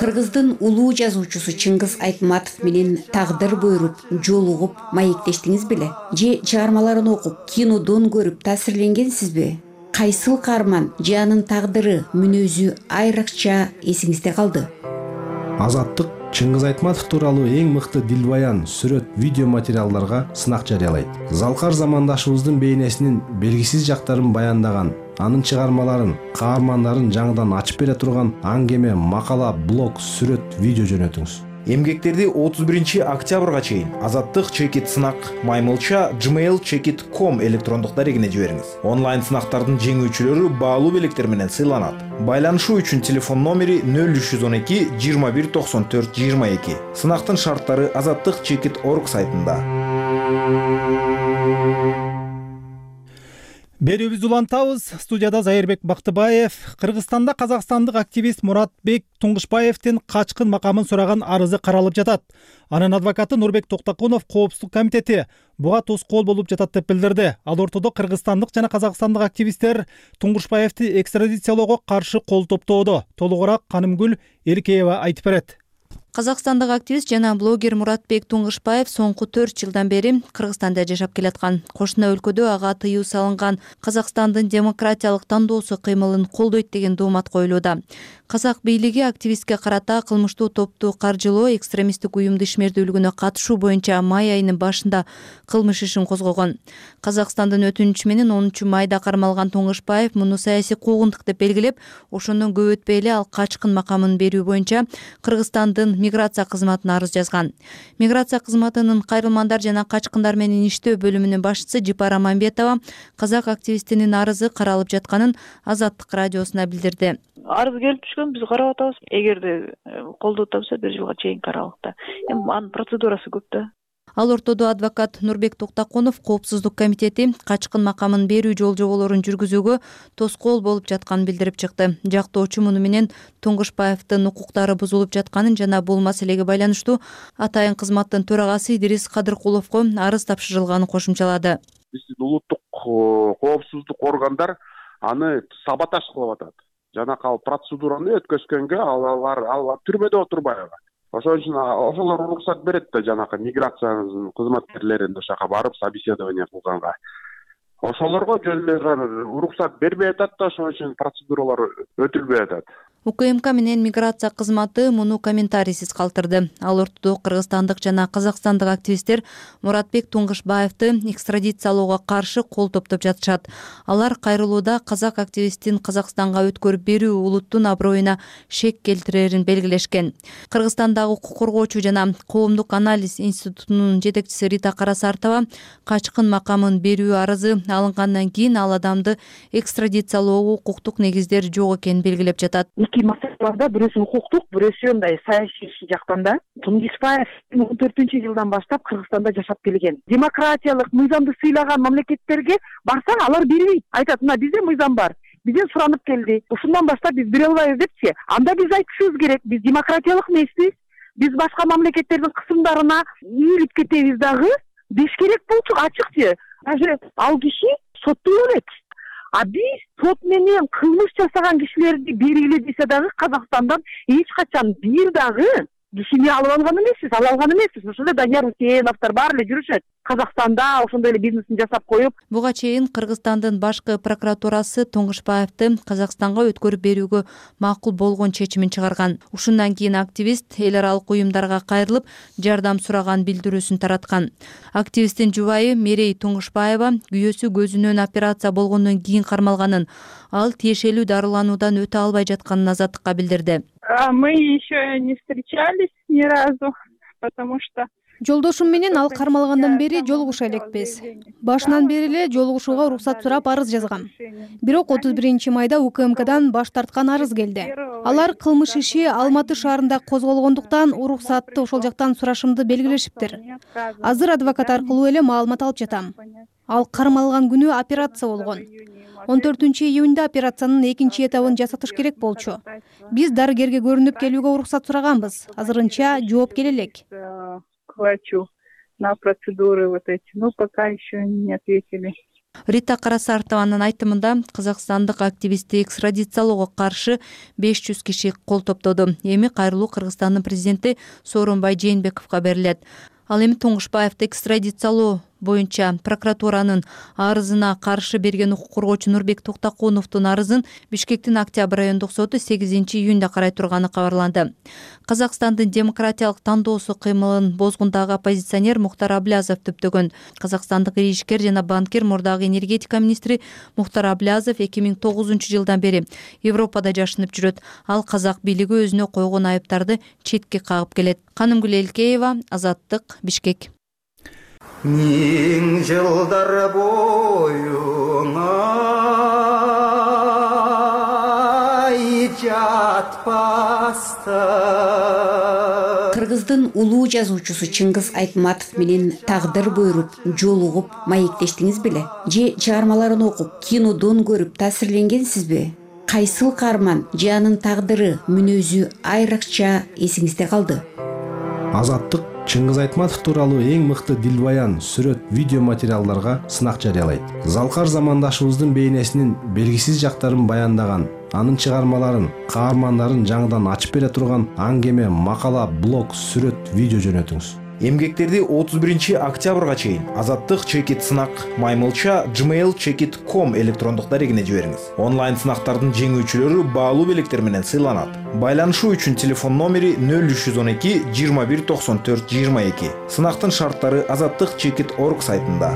Кыргыздын улуу жазуучусу Чыңгыз Айтматов менен тагдыр буйруп, жолугуп, маектештиңиз беле? Же чыгармаларын окуп, кинодон көрүп таасирленгенсизби? Кайсыл каарман же анын тагдыры, мүнөзү айрыкча эсиңизде калды? Азаттык Чыңгыз Айтматов тууралуу эң мыкты дилбаян, сүрөт, видео материалдарга сынак жарыялайт. Залкар замандашыбыздын бейнесинин белгисиз жактарын баяндаган, анын чыгармаларын, каармандарын жаңыдан ачып бере турган аңгеме, макала, блог, сүрөт, видео жөнөтүңүз. Эмгектерди отуз биринчи октябрга чейин Азаттык чекит сынак маймылча gmail чекит ком электрондук дарегине жибериңиз. Онлайн сынактардын жеңүүчүлөрү баалуу белектер менен сыйланат. Байланышуу үчүн телефон номери нөл үч жүз он эки жыйырма бир токсон төрт жыйырма эки. Сынактын шарттары азаттык чекит точка орг сайтында. Берүүбүздү улантабыз. Студияда Зайырбек Бактыбаев. Кыргызстанда казакстандык активист Муратбек Туңгушбаевдин качкын макамын сураган арызы каралып жатат. Анын адвокаты Нурбек Токтокунов Коопсуздук комитети буга тоскоол болуп жатат деп билдирди. Ал ортодо кыргызстандык жана казакстандык активисттер Туңгушбаевди экстрадициялоого каршы кол топтоодо. Толугураак Канымгүл Эркеева айтып берет. Казакстандык активист жана блогер Муратбек Туңгушбаев соңку төрт жылдан бери Кыргызстанда жашап келаткан. Кошуна өлкөдө ага тыюу салынган Казакстандын демократиялык тандоосу кыймылын колдойт деген доомат коюлууда. Казак бийлиги активистке карата кылмыштуу топту каржылоо, экстремисттик уюмду ишмердүүлүгүнө катышуу боюнча май айынын башында кылмыш ишин козгогон. Казакстандын өтүнүчү менен онунчу майда кармалган Туңгушбаев муну саясий куугунтук деп белгилеп, ошондон көп өтпөй эле ал качкын макамын берүү боюнча Кыргызстандын миграция кызматына арыз жазган. Миграция кызматынын кайрылмандар жана качкындар менен иштөө бөлүмүнүн башчысы Жипара Мамбетова казак активистинин арызы каралып жатканын Азаттык радиосуна билдирди. Арыз келип түшкөн, биз карап атабыз. Эгерде колдоп атса бир жылга чейин каралык да. Эми анын процедурасы көп да. Ал ортодо адвокат Нурбек Токтакунов Коопсуздук комитети качкын макамын берүү жол-жоболорун жүргүзүүгө тоскоол болуп жатканын билдирип чыкты. Жактоочу муну менен Туңгушбаевдин укуктары бузулуп жатканын жана бул маселеге байланыштуу атайын кызматтын төрагасы Идирис Кадыркуловго арыз тапшырылганын кошумчалады. Биздин улуттук коопсуздук органдар аны саботаж кылып атат. Жанакы процедураны өткөзгөнгө алар алар түрмөдө отурбайбы. Ошон үчүн ошолор уруксат берет да жанакы миграциянын кызматкерлерин ошака барып собеседование кылганга. Ошолорго жөн эле уруксат бербей атат да, ошон үчүн процедуралар өтүлбөй атат. УКМК менен миграция кызматы муну комментарийсиз калтырды. Ал ортодо кыргызстандык жана казакстандык активисттер Муратбек Туңгушбаевди экстрадициялоого каршы кол топтоп жатышат. Алар кайрылууда казак активистин Казакстанга өткөрүп берүү улуттун аброюна шек келтирерин белгилешкен. Кыргызстандагы укук коргоочу жана коомдук анализ институтунун жетекчиси Рита Карасартова качкын макамын берүү арызы алынгандан кийин ал адамды экстрадициялоого укуктук негиздер жок экенин белгилеп жатат. Эки маселелерде бирөөсү укуктук, бирөөсү мындай саясий жактан да. Туңгушбаев он төртүнчү жылдан баштап Кыргызстанда жашап келген. Демократиялык мыйзамды сыйлаган мамлекеттерге барсаң алар бербейт. Айтат, мына бизде мыйзам бар. Бизден суранып келди. Ушундан баштап биз бере албайбыз депчи. Анда биз айтышыбыз керек. Биз демократиялык эмеспиз. Биз башка мамлекеттердин кысымдарына ийилип кетебиз дагы. Биз керек болчу ачыкчы. Даже ал киши соттоло элек. А биз сот менен кылмыш жасаган кишилерди бергиле десе дагы Казакстандан эч качан бир дагы кишини алып алган эмеспиз, ала алган эмеспиз. Ошол эле Данияр Усеновдор баары эле жүрүшөт. Казакстанда ошондой эле бизнесин жасап коюп. Буга чейин Кыргызстандын башкы прокуратурасы Туңгушбаевди Казакстанга өткөрүп берүүгө макул болгон чечимин чыгарган. Ушундан кийин активист эл аралык уюмдарга кайрылып, жардам сураган билдирүүсүн тараткан. Активисттин жубайы Мерей Туңгушбаева күйөөсү көзүнөн операция болгондон кийин кармалганын, ал тиешелүү дарылануудан өтө албай жатканын Азаттыкка билдирди. Мы еще не встречались ни разу, потому что Жолдошум менен ал кармалгандан бери жолугуша элекпиз. Башынан бери эле жолугушууга уруксат сурап арыз жазгам. Бирок отуз биринчи майда УКМКдан баш тарткан арыз келди. Алар кылмыш иши Алматы шаарында козголгондуктан уруксатты ошол жактан сурашымды белгилешиптир. Азыр адвокат аркылуу эле маалымат алып жатам. Ал кармалган күнү операция болгон. он төртүнчү июнда операциянын экинчи этабын жасатыш керек болчу. Биз дарыгерге көрүнүп келүүгө уруксат сураганбыз. Азырынча жооп келе элек. Хочу на процедуры вот эти, но пока еще не ответили. Рита Карасартованын айтымында казакстандык активистти экстрадициялоого каршы беш жүз киши кол топтоду. Эми кайрылуу Кыргызстандын президенти Сооронбай Жээнбековго берилет. Ал эми Туңгушбаевди экстрадициялоо боюнча прокуратуранын арызына каршы берген укук коргоочу Нурбек Токтакуновдун арызын Бишкектин Октябрь райондук соту сегизинчи июнда карай турганы кабарланды. Казакстандын демократиялык тандоосу кыймылын бозгундагы оппозиционер Мухтар Аблязов түптөгөн. Казакстандык ишкер жана банкир мурдагы энергетика министри Мухтар Аблязов эки миң тогузунчу жылдан бери Европада жашынып жүрөт. Ал казак бийлиги өзүнө койгон айыптарды четке кагып келет. Канымгүл Элкеева, Азаттык, Бишкек. Миң жылдар боюңа жатпастан. Кыргыздын улуу жазуучусу Чыңгыз Айтматов менен тагдыр буйруп, жолугуп маектештиңиз беле? Же чыгармаларын окуп, кинодон көрүп таасирленгенсизби? Кайсыл каарман же анын тагдыры, мүнөзү айрыкча эсиңизде калды? Азаттык Чыңгыз Айтматов тууралуу эң мыкты дилбаян, сүрөт, видео материалдарга сынак жарыялайт. Залкар замандашыбыздын бейнесинин белгисиз жактарын баяндаган, анын чыгармаларын, каармандарын жаңыдан ачып бере турган аңгеме, макала, блог, сүрөт, видео жөнөтүңүз. Эмгектерди отуз биринчи октябрга чейин Азаттык чекит сынак маймылча gmail чекит точка ком электрондук дарегине жибериңиз. Онлайн сынактардын жеңүүчүлөрү баалуу белектер менен сыйланат. Байланышуу үчүн телефон номери нөл үч жүз он эки жыйырма бир токсон төрт жыйырма эки. Сынактын шарттары азаттык чекит точка орг сайтында.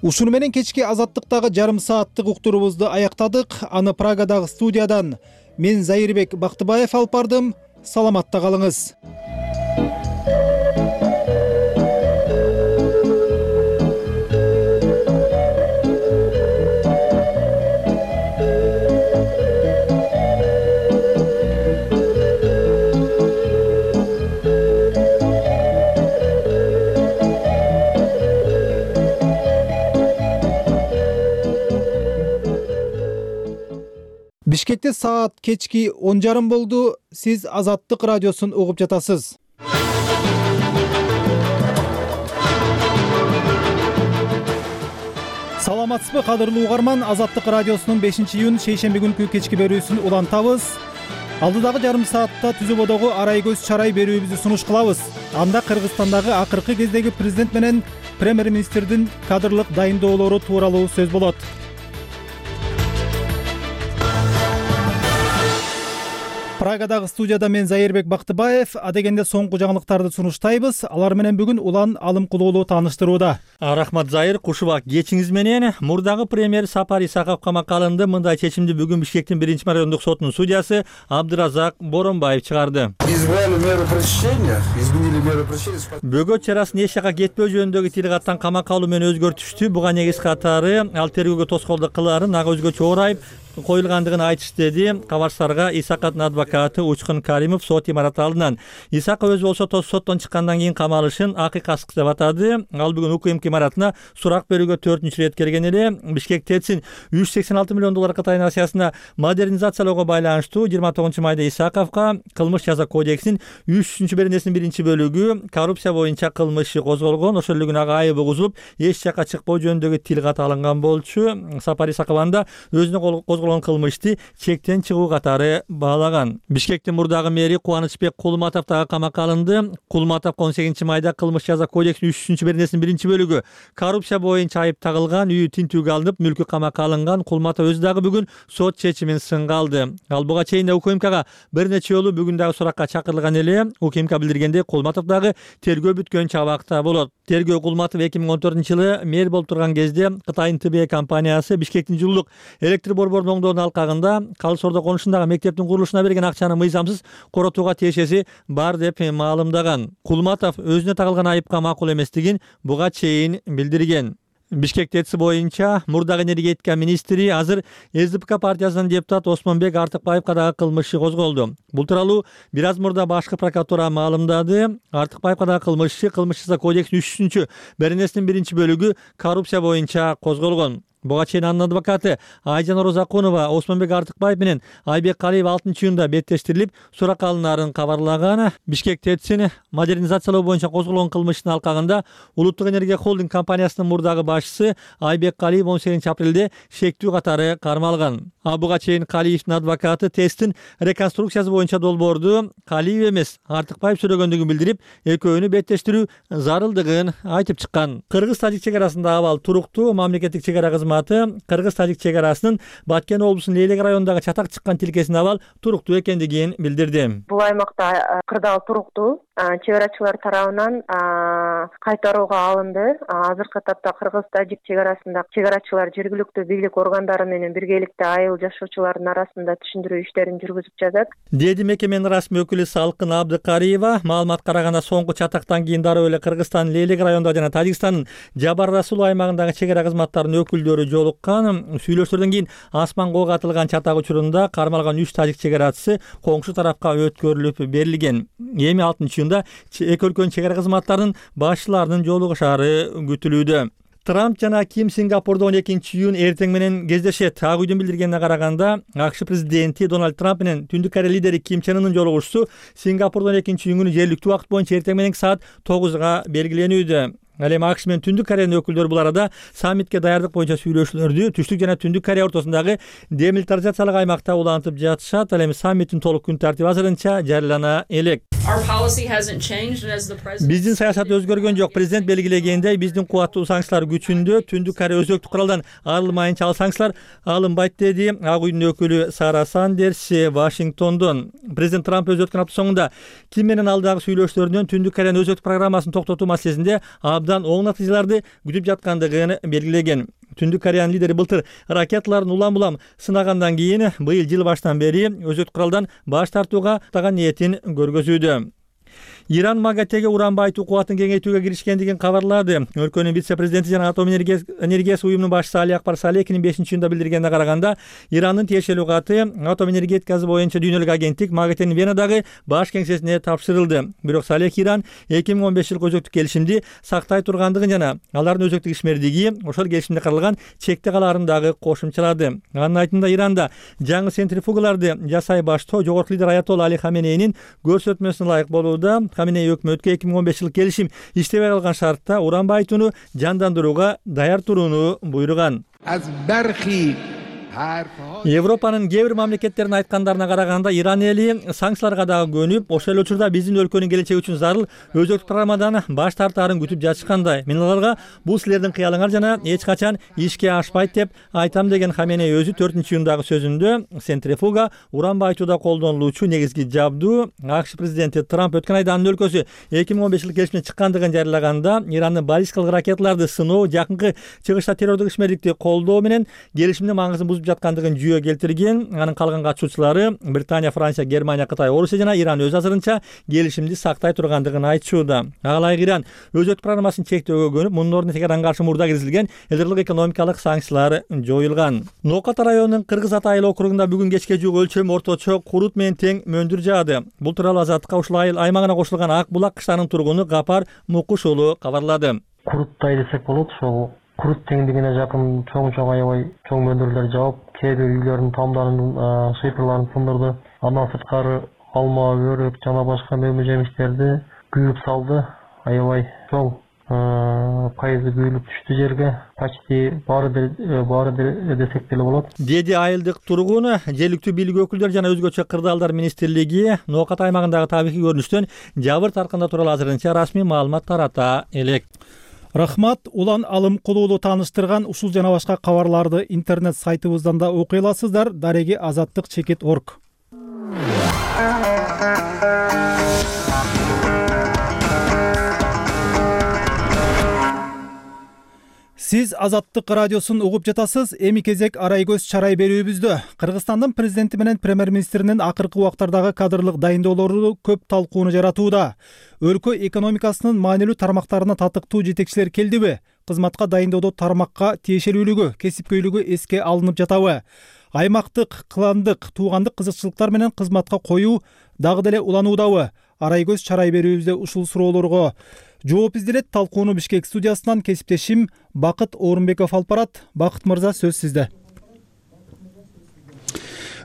Ушуну менен кечки азаттыктагы жарым сааттык уктуруубузду аяктадык. Аны Прагадагы студиядан мен Зайырбек Бактыбаев алып бардым. Саламатта калыңыз. Бишкекте саат кечки он жарым болду. Сиз Азаттык радиосун угуп жатасыз. Саламатсызбы, кадырлуу угарман? Азаттык радиосунун бешинчи июнь шейшемби күнкү кечки берүүсүн улантабыз. Алдыдагы жарым саатта түзөбодогу арай көз чарай берүүбүздү сунуш кылабыз. Анда Кыргызстандагы акыркы кездеги президент менен премьер-министрдин кадрлык дайындоолору тууралуу сөз болот. Прагадагы студияда мен Зайырбек Бактыбаев. Адегенде соңку жаңылыктарды сунуштайбыз. Алар менен бүгүн Улан Алымкулуулу тааныштырууда. Рахмат Зайыр, кушубак кечиңиз менен. Мурдагы премьер Сапар Исаков камакка алынды. Мындай чечимди бүгүн Бишкектин биринчи райондук сотунун судьясы Абдыразак Боронбаев чыгарды. Изменили меру пресечения, изменили меру пресечения. Бөгөт чарасын эч жака кетпөө жөнүндөгү тил каттан камакка алуу менен өзгөртүштү. Буга негиз катары ал тергөөгө тоскоолдук кылаарын ага өзгөчө орайып коюлгандыгын айтышты деди Кабарсарга Исаковдун адвокаты Учкун Каримов сот имараты алдынан. Исаков өзү болсо соттон чыккандан кийин камалышын акыйкасыздык деп атады. Ал бүгүн УКМК имаратына сурак берүүгө төртүнчү ирет келген эле. Бишкек ТЭЦин үч жүз сексен алты миллион доллар кытайын акциясына модернизациялоого байланыштуу жыйырма тогузунчу майда Исаковго кылмыш жаза кодексинин үч жүзүнчү беренесинин биринчи бөлүгү коррупция боюнча кылмышы козголгон. Ошол эле күнү ага айыбы кузулуп, эч жака чыкпоо жөнүндөгү тил кат алынган болчу. Сапар Исаков анда өзүнө козголгон кылмышты чектен чыгуу катары баалаган. Бишкектин мурдагы мэри Кубанычбек Кулматов дагы камакка алынды. Кулматов он сегизинчи майда кылмыш жаза кодексинин үч жүзүнчү беренесинин биринчи бөлүгү коррупция боюнча айып тагылган, үйү тинтүүгө алынып, мүлкү камакка алынган. Кулматов өзү дагы бүгүн сот чечимин сынга алды. Ал буга чейин да УКМКга бир нече жолу бүгүн дагы суракка чакырылган эле. УКМК билдиргендей, Кулматов дагы тергөө бүткөнчө абакта болот. Тергөө Кулматов эки миң он төртүнчү жылы мэр болуп турган кезде Кытайдын Тэ Бэ компаниясы Бишкектин жылуулук электр борборунун оңдоонун алкагында Калы Сордо конушундагы мектептин курулушуна берген акчаны мыйзамсыз коротууга тиешеси бар деп маалымдаган. Кулматов өзүнө тагылган айыпка макул эместигин буга чейин билдирген. Бишкек ТЭЦ боюнча мурдагы энергетика министри, азыр Эс Дэ Пэ Ка партиясынын депутаты Осмонбек Артыкбаевга дагы кылмышы козголду. Бул тууралуу бир аз мурда башкы прокуратура маалымдады. Артыкбаевга дагы кылмышы кылмыш жаза кодексинин үч жүзүнчү беренесинин биринчи бөлүгү коррупция боюнча козголгон. Буга чейин анын адвокаты Айжан Орозакунова Осмонбек Артыкбаев менен Айбек Калиев алтынчы июнда беттештирилип, суракка алынаарын кабарлаган. Бишкек ТЭЦин модернизациялоо боюнча козголгон кылмыштын алкагында Улуттук энергия холдинг компаниясынын мурдагы башчысы Айбек Калиев он сегизинчи апрелде шектүү катары кармалган. А буга чейин Калиевдин адвокаты ТЭЦтин реконструкциясы боюнча долбоорду Калиев эмес Артыкбаев сүрөгөндүгүн билдирип, экөөнү беттештирүү зарылдыгын айтып чыккан. Кыргыз-Тажик чек арасындагы абал туруктуу. Мамлекеттик чек ара кызматы Кыргыз-Тажик чек арасынын Баткен облусунун Лейлек районундагы чатак чыккан тилкесинин абал туруктуу экендигин билдирди. Бул аймакта кырдаал туруктуу. Чек арачылар тарабынан кайтарууга алынды. Азыркы тапта Кыргыз-Тажик чек арасында чек арачылар жергиликтүү бийлик органдары менен биргеликте айыл жашоочулардын арасында түшүндүрүү иштерин жүргүзүп жатат, деди мекеменин расмий өкүлү Салкын Абдыкариева. Маалыматка караганда соңку чатактан кийин дароо эле Кыргызстандын Лейлек районунда жана Тажикстандын Жабар Расул аймагындагы чек ара кызматтарынын өкүлдөрү жолуккан. Сүйлөшүүлөрдөн кийин асман коого атылган чатак учурунда кармалган үч тажик чек арачысы коңшу тарапка өткөрүлүп берилген. Эми алтынчы июнда эки өлкөнүн чек ара кызматтарынын башчыларынын жолугушаары күтүлүүдө. Трамп жана Ким Сингапурда он экинчи июнь эртең менен кездешет. Ак үйдүн билдиргенине караганда, АКШ президенти Дональд Трамп менен Түндүк Корея лидери Ким Чен Ынын жолугушуусу Сингапурда он экинчи июнь күнү жергиликтүү убакыт боюнча эртең менен саат тогузга белгиленүүдө. Ал эми АКШ менен Түндүк Кореянын өкүлдөрү бул арада саммитке даярдык боюнча сүйлөшүүлөрдү Түштүк жана Түндүк Корея ортосундагы демилитаризациялык аймакта улантып жатышат. Ал эми саммиттин толук күн тартиби азырынча жарыялана элек. Биздин саясат өзгөргөн жок. Президент белгилегендей, биздин кубаттуу санкциялар күчүндө. Түндүк Корея өзөктүк куралдан арылмайынча ал санкциялар алынбайт, деди Ак үйдүн өкүлү Сара Сандерс Вашингтондон. Президент Трамп өз өткөн апта соңунда Ким менен алдагы сүйлөшүүлөрдөн Түндүк Кореянын өзөктүк программасын токтотуу маселесинде абдан оң натыйжаларды күтүп жаткандыгын белгилеген. Түндүк Кореянын лидери былтыр ракеталарын улам-улам сынагандан кийин быйыл жыл башынан бери өзөктүк куралдан баш тартууга таган ниетин көргөзүүдө. Иран МАГАТЭге уран байытуу кубатын кеңейтүүгө киришкендигин кабарлады. Өлкөнүн вице-президенти жана атом энергиясы уюмунун башчысы Али Акбар Салехинин бешинчи июнда билдиргенине караганда, Ирандын тиешелүү каты атом энергетикасы боюнча дүйнөлүк агенттик МАГАТЭнин Венадагы баш кеңсесине тапшырылды. Бирок Салех Иран эки миң он беш жылкы өзөктүк келишимди сактай тургандыгын жана алардын өзөктүк ишмердиги ошол келишимде каралган чекте калаарын дагы кошумчалады. Анын айтымында Иранда жаңы центрифугаларды жасай баштоо жогорку лидер Аятолла Али Хаменейнин көрсөтмөсүнө ылайык болууда. Хаменей өкмөткө эки миң он беш жылкы келишим иштебей калган шартта уран байытууну жандандырууга даяр турууну буйруган. Европанын кээ бир мамлекеттеринин айткандарына караганда, Иран эли санкцияларга дагы көнүп, ошол эле учурда биздин өлкөнүн келечеги үчүн зарыл өзөктүк программадан баш тартаарын күтүп жатышкандай. Мен аларга бул силердин кыялыңар жана эч качан ишке ашпайт деп айтам, деген Хаменей өзү төртүнчү июндагы сөзүндө. Центрифуга уран байытууда колдонулуучу негизги жабдуу. АКШ президенти Трамп өткөн айда анын өлкөсү эки миң он беш жылкы келишимден чыккандыгын жарыялаганда, Ирандын баллистикалык ракеталарды сыноо, жакынкы чыгышта террордук ишмердикти колдоо менен келишимдин маңызын бузуп жаткандыгын жүйө келтирген. Анын калган катышуучулары Британия, Франция, Германия, Кытай, Орусия жана Иран өз азырынча келишимди сактай тургандыгын айтышууда. Ага ылайык Иран өзөктүк программасын чектөөгө көнүп, мунун ордуна Теheranга каршы мурда киргизилген элдерлик экономикалык санкциялар жоюлган. Нооката районунун Кыргыз Ата айыл округунда бүгүн кечке жуук өлчөмү орточо курут менен тең мөндүр жаады. Бул тууралуу Азаттыкка ушул айыл аймагына кошулган Ак булак кыштагынын тургуну Гапар Мукуш уулу кабарлады. Куруттай десек болот, ошол курут теңдигине жакын чоң-чоң аябай чоң мөндүрлөр жаап, кээ бир үйлөрдүн тамдарын, шыйпырларын сындырды. Андан сырткары алма, өрүк жана башка мөмө жемиштерди күйүп салды. Аябай чоң пайызы күйүлүп түштү жерге. Почти баары баары десек деле болот, деди айылдык тургун. Жергиликтүү бийлик өкүлдөрү жана өзгөчө кырдаалдар министрлиги Ноокат аймагындагы табигый көрүнүштөн жабыр тартканда тууралуу азырынча расмий маалымат тарата элек. Рахмат. Улан алым кулуулу тааныштырган ушул жана башка кабарларды интернет сайтыбыздан да окуй аласыздар. Дареги азаттык чекит точка орг. Сиз Азаттык радиосун угуп жатасыз. Эми кезек арай көз чарай берүүбүздө. Кыргызстандын президенти менен премьер-министринин акыркы убактардагы кадрлык дайындоолору көп талкууну жаратууда. Өлкө экономикасынын маанилүү тармактарына татыктуу жетекчилер келдиби? Кызматка дайындоодо тармакка тиешелүүлүгү, кесипкөйлүгү эске алынып жатабы? Аймактык, кландык, туугандык кызыкчылыктар менен кызматка коюу дагы деле улануудабы? Арай көз чарай берүүбүздө ушул суроолорго жооп изделет. Талкууну Бишкек студиясынан кесиптешим Бакыт Орунбеков алып барат. Бакыт мырза, сөз сизде.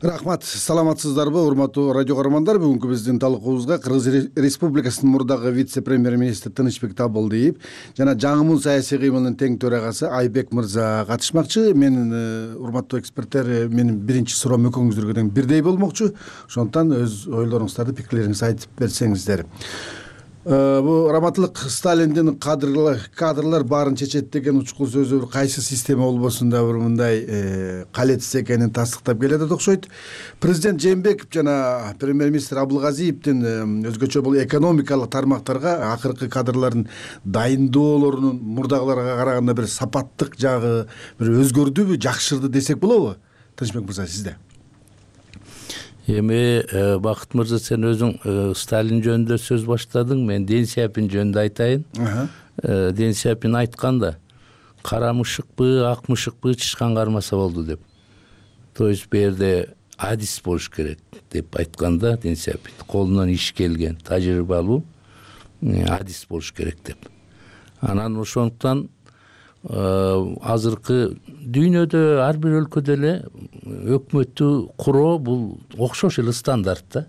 Рахмат, саламатсыздарбы урматтуу радио көрөрмандар? Бүгүнкү биздин талкуубузга Кыргыз Республикасынын мурдагы вице-премьер-министри Тынычбек Табылдиев жана жаңымун саясий кыймылдын тең төрагасы Айбек мырза катышмакчы. Менин урматтуу эксперттер, менин биринчи суроом экөөңүздөргө тең бирдей болмокчу. Ошондуктан өз ойлоруңуздарды, пикирлериңизди айтып берсеңиздер. Бул раматтылык Сталиндин кадрлар баарын чечет деген учкул сөзү кайсы система болбосун да бир мындай калетсиз экенин тастыктап келатат окшойт. Президент Жээнбеков жана премьер-министр Абылгазиевдин өзгөчө бул экономикалык тармактарга акыркы кадрлардын дайындоолорунун мурдагыларга караганда бир сапаттык жагы бир өзгөрдүбү, жакшырды десек болобу? Тынычбек мырза, сизде. Эми Бакыт мырза, сен өзүң Сталин жөнүндө сөз баштадың, мен Ден Сяопин жөнүндө айтайын. Ден Сяопин айтканда, кара мышыкпы, ак мышыкпы чычкан кармаса болду деп. То есть бул жерде адис болуш керек деп айтканда, Ден Сяопин колунан иш келген, тажрыйбалуу адис болуш керек деп. Анан ошондуктан азыркы дүйнөдө ар бир өлкөдө эле өкмөттү куруу бул окшош эле стандарт да.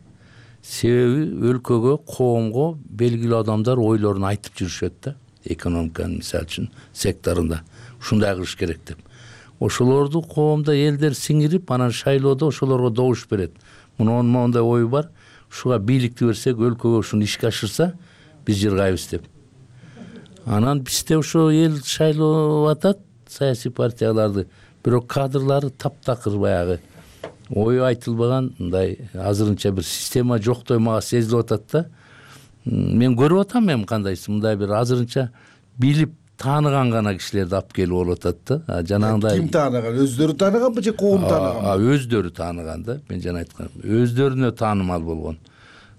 Себеби өлкөгө, коомго белгилүү адамдар ойлорун айтып жүрүшөт да. Экономиканын мисалы үчүн секторунда ушундай кылыш керек деп. Ошолорду коомдо элдер сиңирип, анан шайлоодо ошолорго добуш берет. Мунун моундай ою бар. ушуга бийликти берсек, өлкөгө ушуну ишке ашырса биз жыргайбыз деп. Анан бизде ошо эл шайлап атат саясий партияларды, бирок кадрлары таптакыр, баягы ою айтылбаган, мындай азырынча бир система жоктой мага сезилип атат да. Мен көрүп атам эми кандайсы мындай бир азырынча билип тааныган гана кишилерди алып келип болуп атат да. Жанагындай ким тааныган? Өздөрү тааныганбы же коом тааныганбы? Өздөрү тааныган да. Мен жана айткам, өздөрүнө таанымал болгон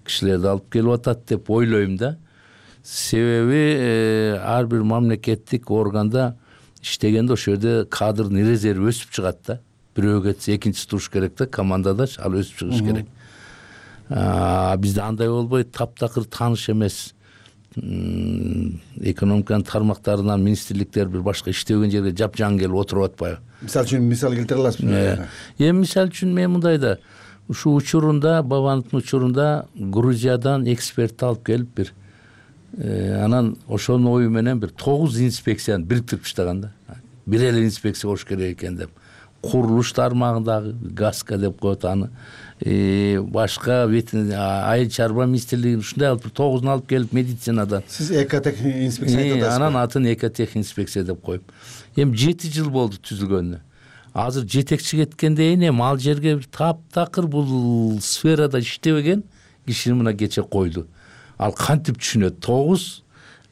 кишилерди алып келип атат деп ойлойм да. Себеби ар бир мамлекеттик органда иштегенде ошол жерде кадрдын резерви өсүп чыгат да. Бирөө кетсе экинчиси туруш керек да, командада ал өсүп чыгыш керек. Бизде андай болбойт, таптакыр тааныш эмес экономиканын тармактарынан министрликтер бир башка иштебеген жерге жапжаң келип отуруп атпайбы? Мисалы үчүн мисал келтире аласызбы? Эми мисалы үчүн мен мындай да, ушул учурунда, Бабановдун учурунда Грузиядан эксперт алып келип бир анан ошонун ою менен бир тогуз инспекцияны бириктирип таштаган да. Бир эле инспекция болуш керек экен деп. Курулуш тармагындагы ГАСКа деп коет аны. Башка айыл чарба министрлигин ушундай алып тогузун алып келип медицинадан. Сиз экотех инспекция айтып атасызбы? Анан атын экотех инспекция деп коюп. Эми жети жыл болду түзүлгөнүнө. Азыр жетекчи кеткенден кийин эми ал жерге бир таптакыр бул сферада иштебеген кишини мына кече койду. Ал кантип түшүнөт? тогуз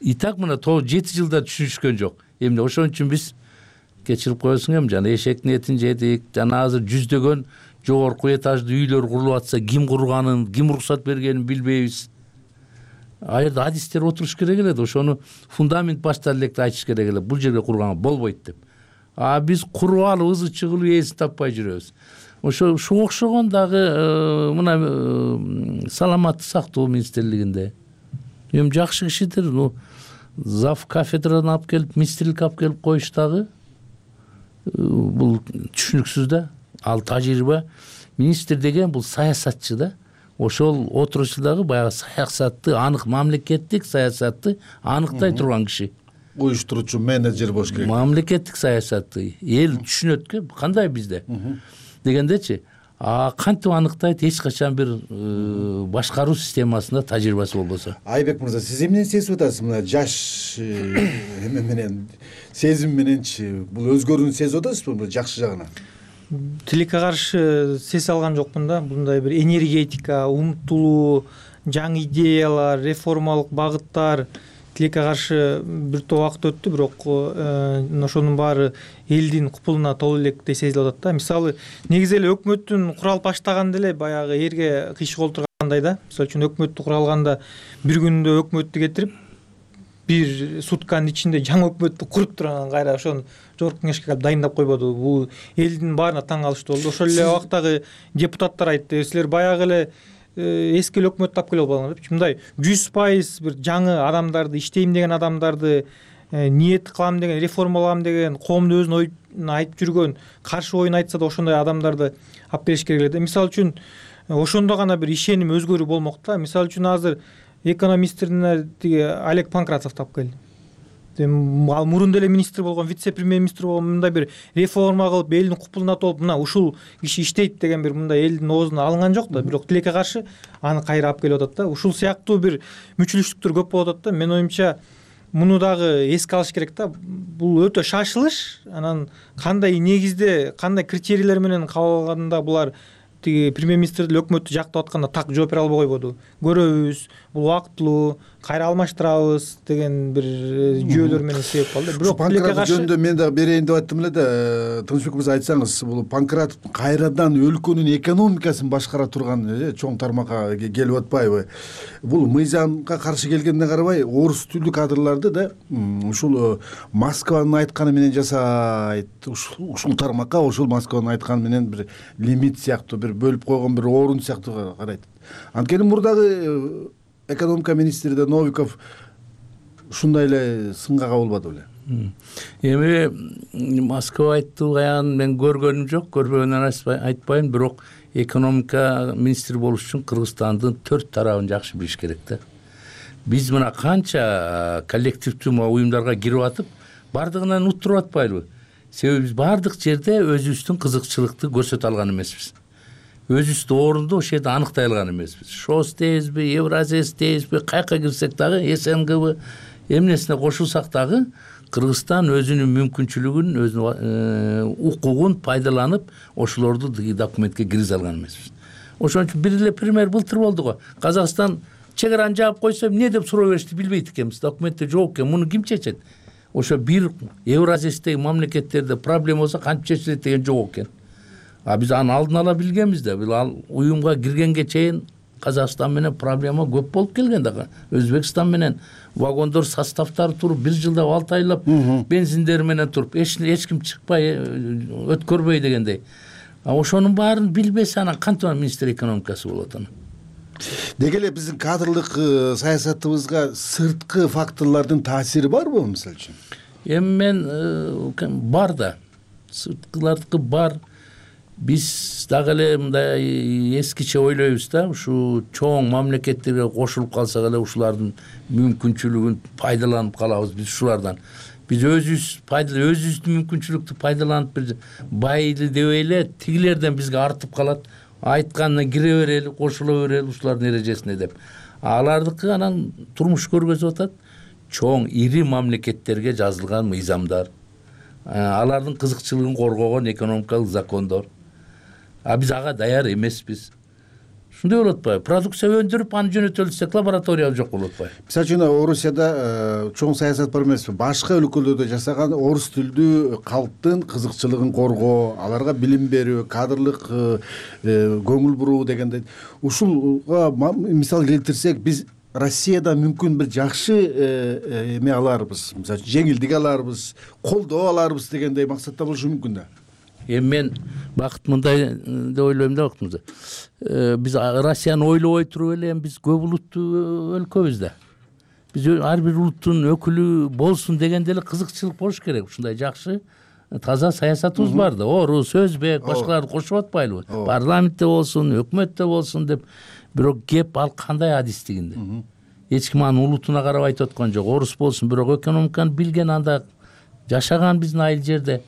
и так мына тогуз жети жылда түшүнүшкөн жок. Эмне ошон үчүн биз кечирип коесуң эми жана эшектин этин жедик. Жана азыр жүздөгөн жогорку этаждуу үйлөр курулуп атса, ким курганын, ким уруксат бергенин билбейбиз. А жерде адистер отуруш керек эле да, ошону фундамент баштан электе айтыш керек эле. Бул жерге курганга болбойт деп. А биз куруп алып ызы чыгылып ээсин таппай жүрөбүз. Ошо ушуга окшогон дагы мына саламаттык сактоо министрлигинде эми жакшы кишидир, ну зав кафедрадан алып келип, министрликке алып келип коюш дагы бул түшүнүксүз да. Ал тажрыйба, министр деген бул саясатчы да. Ошол отурушудагы баягы саясатты, анык мамлекеттик саясатты аныктай турган киши. Уюштуруучу менеджер болуш керек. Мамлекеттик саясатты эл түшүнөткө кандай бизде дегендечи. А кантип аныктайт? Эч качан бир башкаруу системасында тажрыйбасы болбосо. Айбек мырза, сиз эмнени сезип атасыз мына жаш эме менен, сезим мененчи? Бул өзгөрүүнү сезип атасызбы жакшы жагына? Тилекке каршы сезе алган жокмун да. Мындай бир энергетика, умтулуу, жаңы идеялар, реформалык багыттар тилекке каршы бир топ убакыт өттү, бирок ошонун баары элдин купулуна толо электей сезилип атат да. Мисалы, негизи эле өкмөттүн куралып баштаганда эле баягы эрге кыйшык олтургандай да. Мисалы үчүн өкмөттү куралганда бир күндө өкмөттү кетирип, бир сутканын ичинде жаңы өкмөттү куруп турган кайра ошону жогорку кеңешке калып дайындап койбоду. Бул элдин баарына таң калыштуу болду. Ошол эле убактагы депутаттар айтты, силер баягы эле эски эле өкмөттү алып келип албаңдар депчи. Мындай жүз пайыз бир жаңы адамдарды, иштейм деген адамдарды, ниет кылам деген, реформалам деген, коомдун өзүнүн оюн айтып жүргөн, каршы оюн айтса да ошондой адамдарды алып келиш керек эле да. Мисалы үчүн ошондо гана бир ишеним өзгөрүү болмок да. Мисалы үчүн азыр экономистерине тиги Олег Панкратовду алып келди. Ал мурун деле министр болгон, вице-премьер-министр болгон, мындай бир реформа кылып, элдин купулуна толуп, мына ушул киши иштейт деген бир мындай элдин оозуна алынган жок да. Бирок тилекке каршы аны кайра алып келип атат да. Ушул сыяктуу бир мүчүлүштүктөр көп болуп атат да. Менин оюмча муну дагы эске алыш керек да. Бул өтө шашылыш. Анан кандай негизде, кандай критерийлер менен кабыл алганда булар тиги премьер-министр деле өкмөттү жактап атканда так жооп бере албай койбоду. Көрөбүз, бул убактылуу, кайра алмаштырабыз деген бир жүйөлөр менен себеп болду. Бирок Панкратов жөнүндө мен дагы берейин деп аттым эле да. Тынычбек мырза, айтсаңыз, бул Панкратов кайрадан өлкөнүн экономикасын башкара турган чоң тармакка келип атпайбы? Бул мыйзамга каршы келгенине карабай, орус тилдүү кадрларды да ушул Москванын айтканы менен жасайт. Ушул тармакка ошол Москванын айтканы менен бир лимит сыяктуу, бир бөлүп койгон бир орун сыяктуу карайт. Анткени мурдагы экономика министри да Новиков ушундай эле сынга кабылбады беле. Эми Москва айтты каян мен көргөнүм жок, көрбөгөндөн айтпайм, бирок экономика министри болуш үчүн Кыргызстандын төрт тарабын жакшы билиш керек да. Биз мына канча коллективдүү уюмдарга кирип атып, бардыгынан уттуруп атпайлыбы? Себеби биз бардык жерде өзүбүздүн кызыкчылыкты көрсөтө алган эмеспиз. өзүбүздү орунду ошол жерде аныктай алган эмеспиз. шос дейбизби, Евразес дейбизби, каяка кирсек дагы, СНГбы эмнесине кошулсак дагы Кыргызстан өзүнүн мүмкүнчүлүгүн, өзүнүн укугун пайдаланып ошолорду документке киргизе алган эмеспиз. Ошон үчүн бир эле пример былтыр болду го. Казакстан чек араны жаап койсо эмне деп суроо беришти билбейт экенбиз. Документте жок экен. Муну ким чечет? Ошо бир Евразиядеги мамлекеттерде проблема болсо кантип чечилет деген жок экен. А биз аны алдын ала билгенбиз да. Бул ал уюмга киргенге чейин Казакстан менен проблема көп болуп келген да. Өзбекстан менен вагондор составдары туруп бир жылда алты айлап бензиндери менен туруп эч эч ким чыкпай өткөрбөй дегендей. А ошонун баарын билбесе анан кантип министр экономикасы болот анан? Деги эле биздин кадрлык саясатыбызга сырткы факторлордун таасири барбы мисалы үчүн? Эми мен бар да. Сырткылардыкы бар. Биз дагы эле мындай эскиче ойлойбуз да, ушу чоң мамлекеттерге кошулуп калсак эле ушулардын мүмкүнчүлүгүн пайдаланып калабыз биз ушулардан. Биз өзүбүз пайдалы өзүбүздүн мүмкүнчүлүктү пайдаланып бир байды дебей эле тигилерден бизге артып калат. Айтканына кире берели, кошула берели ушулардын эрежесине деп. Алардыкы анан турмуш көргөзүп атат. Чоң ири мамлекеттерге жазылган мыйзамдар. Алардын кызыкчылыгын коргогон экономикалык закондор. А биз ага даяр эмеспиз. Ушундай болуп атпайбы? Продукция өндүрүп, аны жөнөтөлсөк, лаборатория жок болуп атпайбы? Мисалы үчүн Орусияда чоң саясат бар эмеспи? Башка өлкөлөрдө жасаган орус тилдүү калктын кызыкчылыгын коргоо, аларга билим берүү, кадрлык көңүл буруу дегендей. Ушулга мисал келтирсек, биз Россияда мүмкүн бир жакшы эме аларбыз, мисалы жеңилдик аларбыз, колдоо аларбыз дегендей максатта болушу мүмкүн да. Эми мен бакыт мындай деп ойлойм да, бактымызда. Биз Россияны ойлобой туруп эле биз көп улуттуу өлкөбүз да. Биз ар бир улуттун өкүлү болсун дегенде эле кызыкчылык болуш керек. Ушундай жакшы таза саясатыбыз бар да. Орус, өзбек, башкаларды кошуп атпайлыбы? Парламентте болсун, өкмөттө болсун деп. Бирок кеп ал кандай адистигинде. Эч ким анын улутуна карап айтып аткан жок. Орус болсун, бирок экономиканы билген, анда жашаган биздин айыл жерде.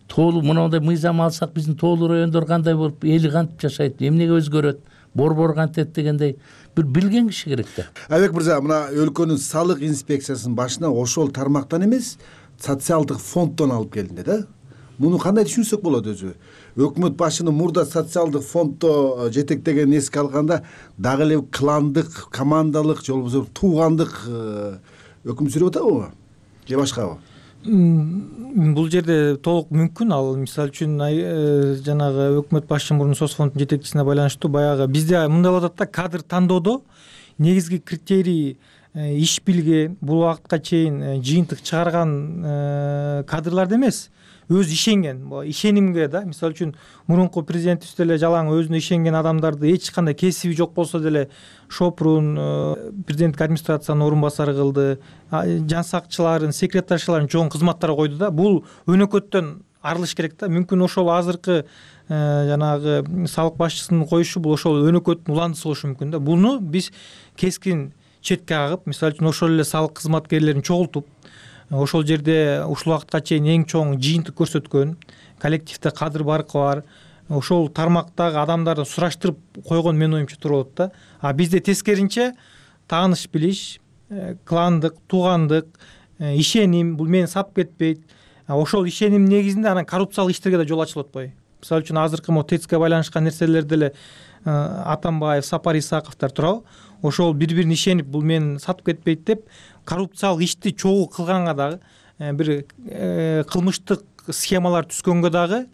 Тоолуу мындай мыйзам алсак, биздин тоолуу райондор кандай болуп, эли кантип жашайт, эмнеге өзгөрөт, борбор кантет дегендей бир билген киши керек да. Айбек мырза, мына өлкөнүн салык инспекциясынын башына ошол тармактан эмес, социалдык фонддон алып келинди да. Муну кандай түшүнсөк болот өзү? Өкмөт башынын мурда социалдык фонддо жетектеген эске алганда дагы эле кландык, командалык же болбосо туугандык өкүм сүрүп атабы? Же башкабы? Бул жерде толук мүмкүн. Ал мисалы үчүн жанагы өкмөт башчы мурун соцфонддун жетекчисине байланыштуу баягы бизде мындай болот да, кадр тандоодо негизги критерий иш билген, бул убакытка чейин жыйынтык чыгарган кадрларды эмес, өзү ишенген, ишенимге да. Мисалы үчүн мурунку президентибиз деле жалаң өзүнө ишенген адамдарды эч кандай кесиби жок болсо деле Шопрун президенттик администрациянын орун басары кылды, жансакчыларын, секретаршыларын чоң кызматтарга койду да. Бул өнөкөттөн арылыш керек да. Мүмкүн ошол азыркы жанагы салык башчысынын коюшу бул ошол өнөкөттүн уландысы болушу мүмкүн да. Буну биз кескин четке кагып, мисалы үчүн ошол эле салык кызматкерлерин чогултуп, ошол жерде ушул убакытка чейин эң чоң жыйынтык көрсөткөн, коллективде кадр баркы бар, ошол тармактагы адамдарды сураштырып койгон менин оюмча туура болот да. А бизде тескеринче тааныш билиш, кландык, туугандык, ишеним, бул мени сатып кетпейт. Ошол ишеним негизинде анан коррупциялык иштерге да жол ачылып атпайбы? Мисалы үчүн азыркы мо ТЭЦКе байланышкан нерселерде эле Атамбаев, Сапар Исаковдор турабы? Ошол бири-бирин ишенип, бул мени сатып кетпейт деп коррупциялык ишти чогуу кылганга дагы, бир кылмыштык схемалар түзгөнгө дагы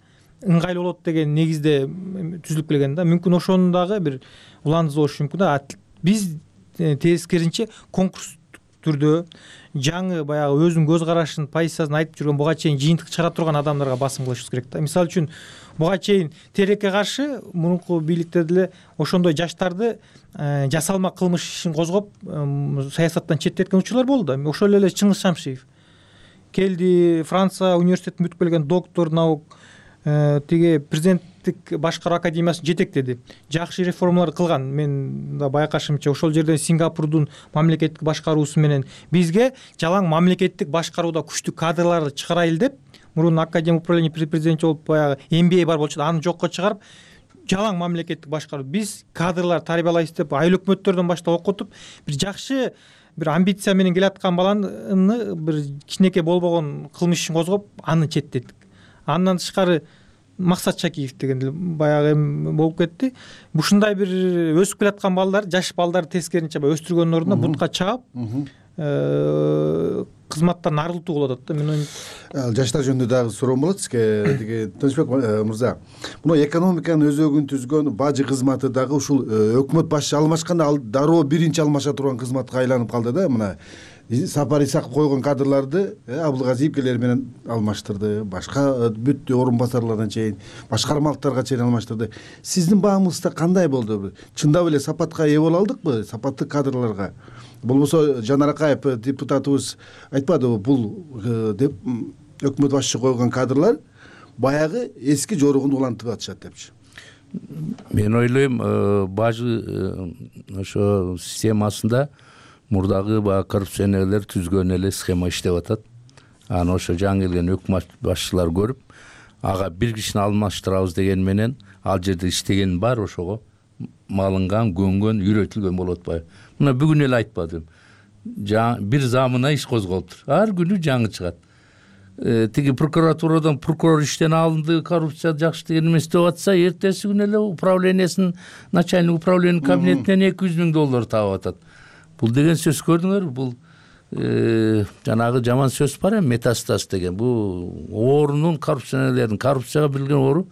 ыңгайлуу болот деген негизде түзүлүп келген да. Мүмкүн ошонун дагы бир уландысы болушу мүмкүн да. Биз тескеринче конкурс түрдө жаңы баягы өзүнүн көз карашын, позициясын айтып жүргөн, буга чейин жыйынтык чыгара турган адамдарга басым кылышыбыз керек да. Мисалы үчүн буга чейин телекке каршы мурунку бийликте деле ошондой жаштарды жасалма кылмыш ишин козгоп саясаттан четтеткен учурлар болду да. Ошол эле Чыңгыз Шамшиев келди, Франция университетин бүтүп келген доктор наук, тиги президенттик башкаруу академиясын жетектеди, жакшы реформалар кылган. Мен да байкашымча ошол жерден Сингапурдун мамлекеттик башкаруусу менен бизге жалаң мамлекеттик башкарууда күчтүү кадрларды чыгарайлы деп, мурун академия управления при президенте болуп баягы эм би эй бар болчу да, аны жокко чыгарып жалаң мамлекеттик башкаруу. Биз кадрлар тарбиялайбыз деп айыл өкмөттөрдөн баштап окутуп, бир жакшы бир амбиция менен келаткан баланы бир кичинекей болбогон кылмыш ишин козгоп, аны четтеттик. Андан тышкары Максат Шакиев деген баягы эми болуп кетти. Ушундай бир өсүп келаткан балдар, жаш балдарды тескеринче өстүргөндүн ордуна бутка чаап, кызматтан арылтуу болуп атат да. Мен ойм жаштар жөнүндө дагы суроом болот сизге. Тиги Тынычбек мырза, мына экономиканын өзөгүн түзгөн бажы кызматы дагы ушул өкмөт башчы алмашканда ал дароо биринчи алмаша турган кызматка айланып калды да. Мына Сапар Исаков койгон кадрларды Абылгазиевкелер менен алмаштырды, башка бүт орун басарлардан чейин, башкармалыктарга чейин алмаштырды. Сиздин баамыңызда кандай болду? Чындап эле сапатка ээ боло алдыкпы, сапаттуу кадрларга? Болбосо Жанар Акаев депутатыбыз айтпадыбы, бул деп өкмөт башчы койгон кадрлар баягы эски жоругун улантып атышат депчи. Мен ойлойм, бажы ошо системасында мурдагы баягы коррупционерлер түзгөн эле схема иштеп атат. Аны ошо жаңы келген өкмөт башчылар көрүп, ага бир кишини алмаштырабыз деген менен ал жерде иштеген бар ошого малынган, көнгөн, үйрөтүлгөн болуп атпайбы? Мына бүгүн эле айтпадым. Бир замына иш козголуптур. Ар күнү жаңы чыгат. Тиги прокуратурадан прокурор иштен алынды, коррупция жакшы деген эмес деп атса, эртеси күнү эле управлениясынын начальник управление кабинетинен эки жүз миң доллар таап атат. Бул деген сөз көрдүңөрбү? Бул жанагы жаман сөз бар эми, метастаз деген. Бул оорунун, коррупционерлердин коррупцияга билген оору.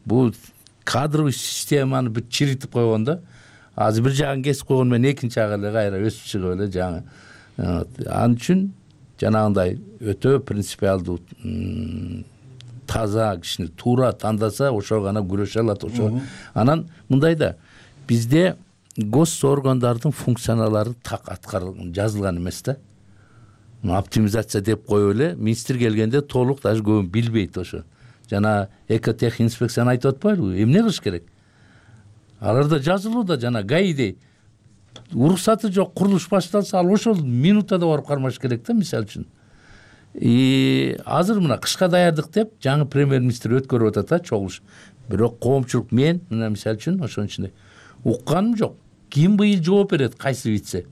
Бул кадровый системаны бүт чиритип койгон да. Азыр бир жагын кесип койгон менен экинчи жагы эле кайра өсүп чыгып эле жаңы. Ал үчүн жанагындай өтө принципиалдуу, таза кишини туура тандаса, ошо гана күрөшө алат. Ошо анан мындай да, бизде гос органдардын функциялары так аткарылган, жазылган эмес да. Оптимизация деп коюп эле, министр келгенде толук даже көбүн билбейт ошо. Жана экотех инспекцияны айтып атпайбы? Эмне кылыш керек? Аларда жазылууда, жана гаидей уруксаты жок, курулуш башталса, ал ошол минутада барып кармаш керек да, мисалы үчүн. И азыр мына кышка даярдык деп жаңы премьер-министр өткөрүп атат, чогулуш. Бирок коомчулук мен, мына мисалы үчүн ошонун ичинде укканым жок. Ким быйыл жооп берет, кайсы вице?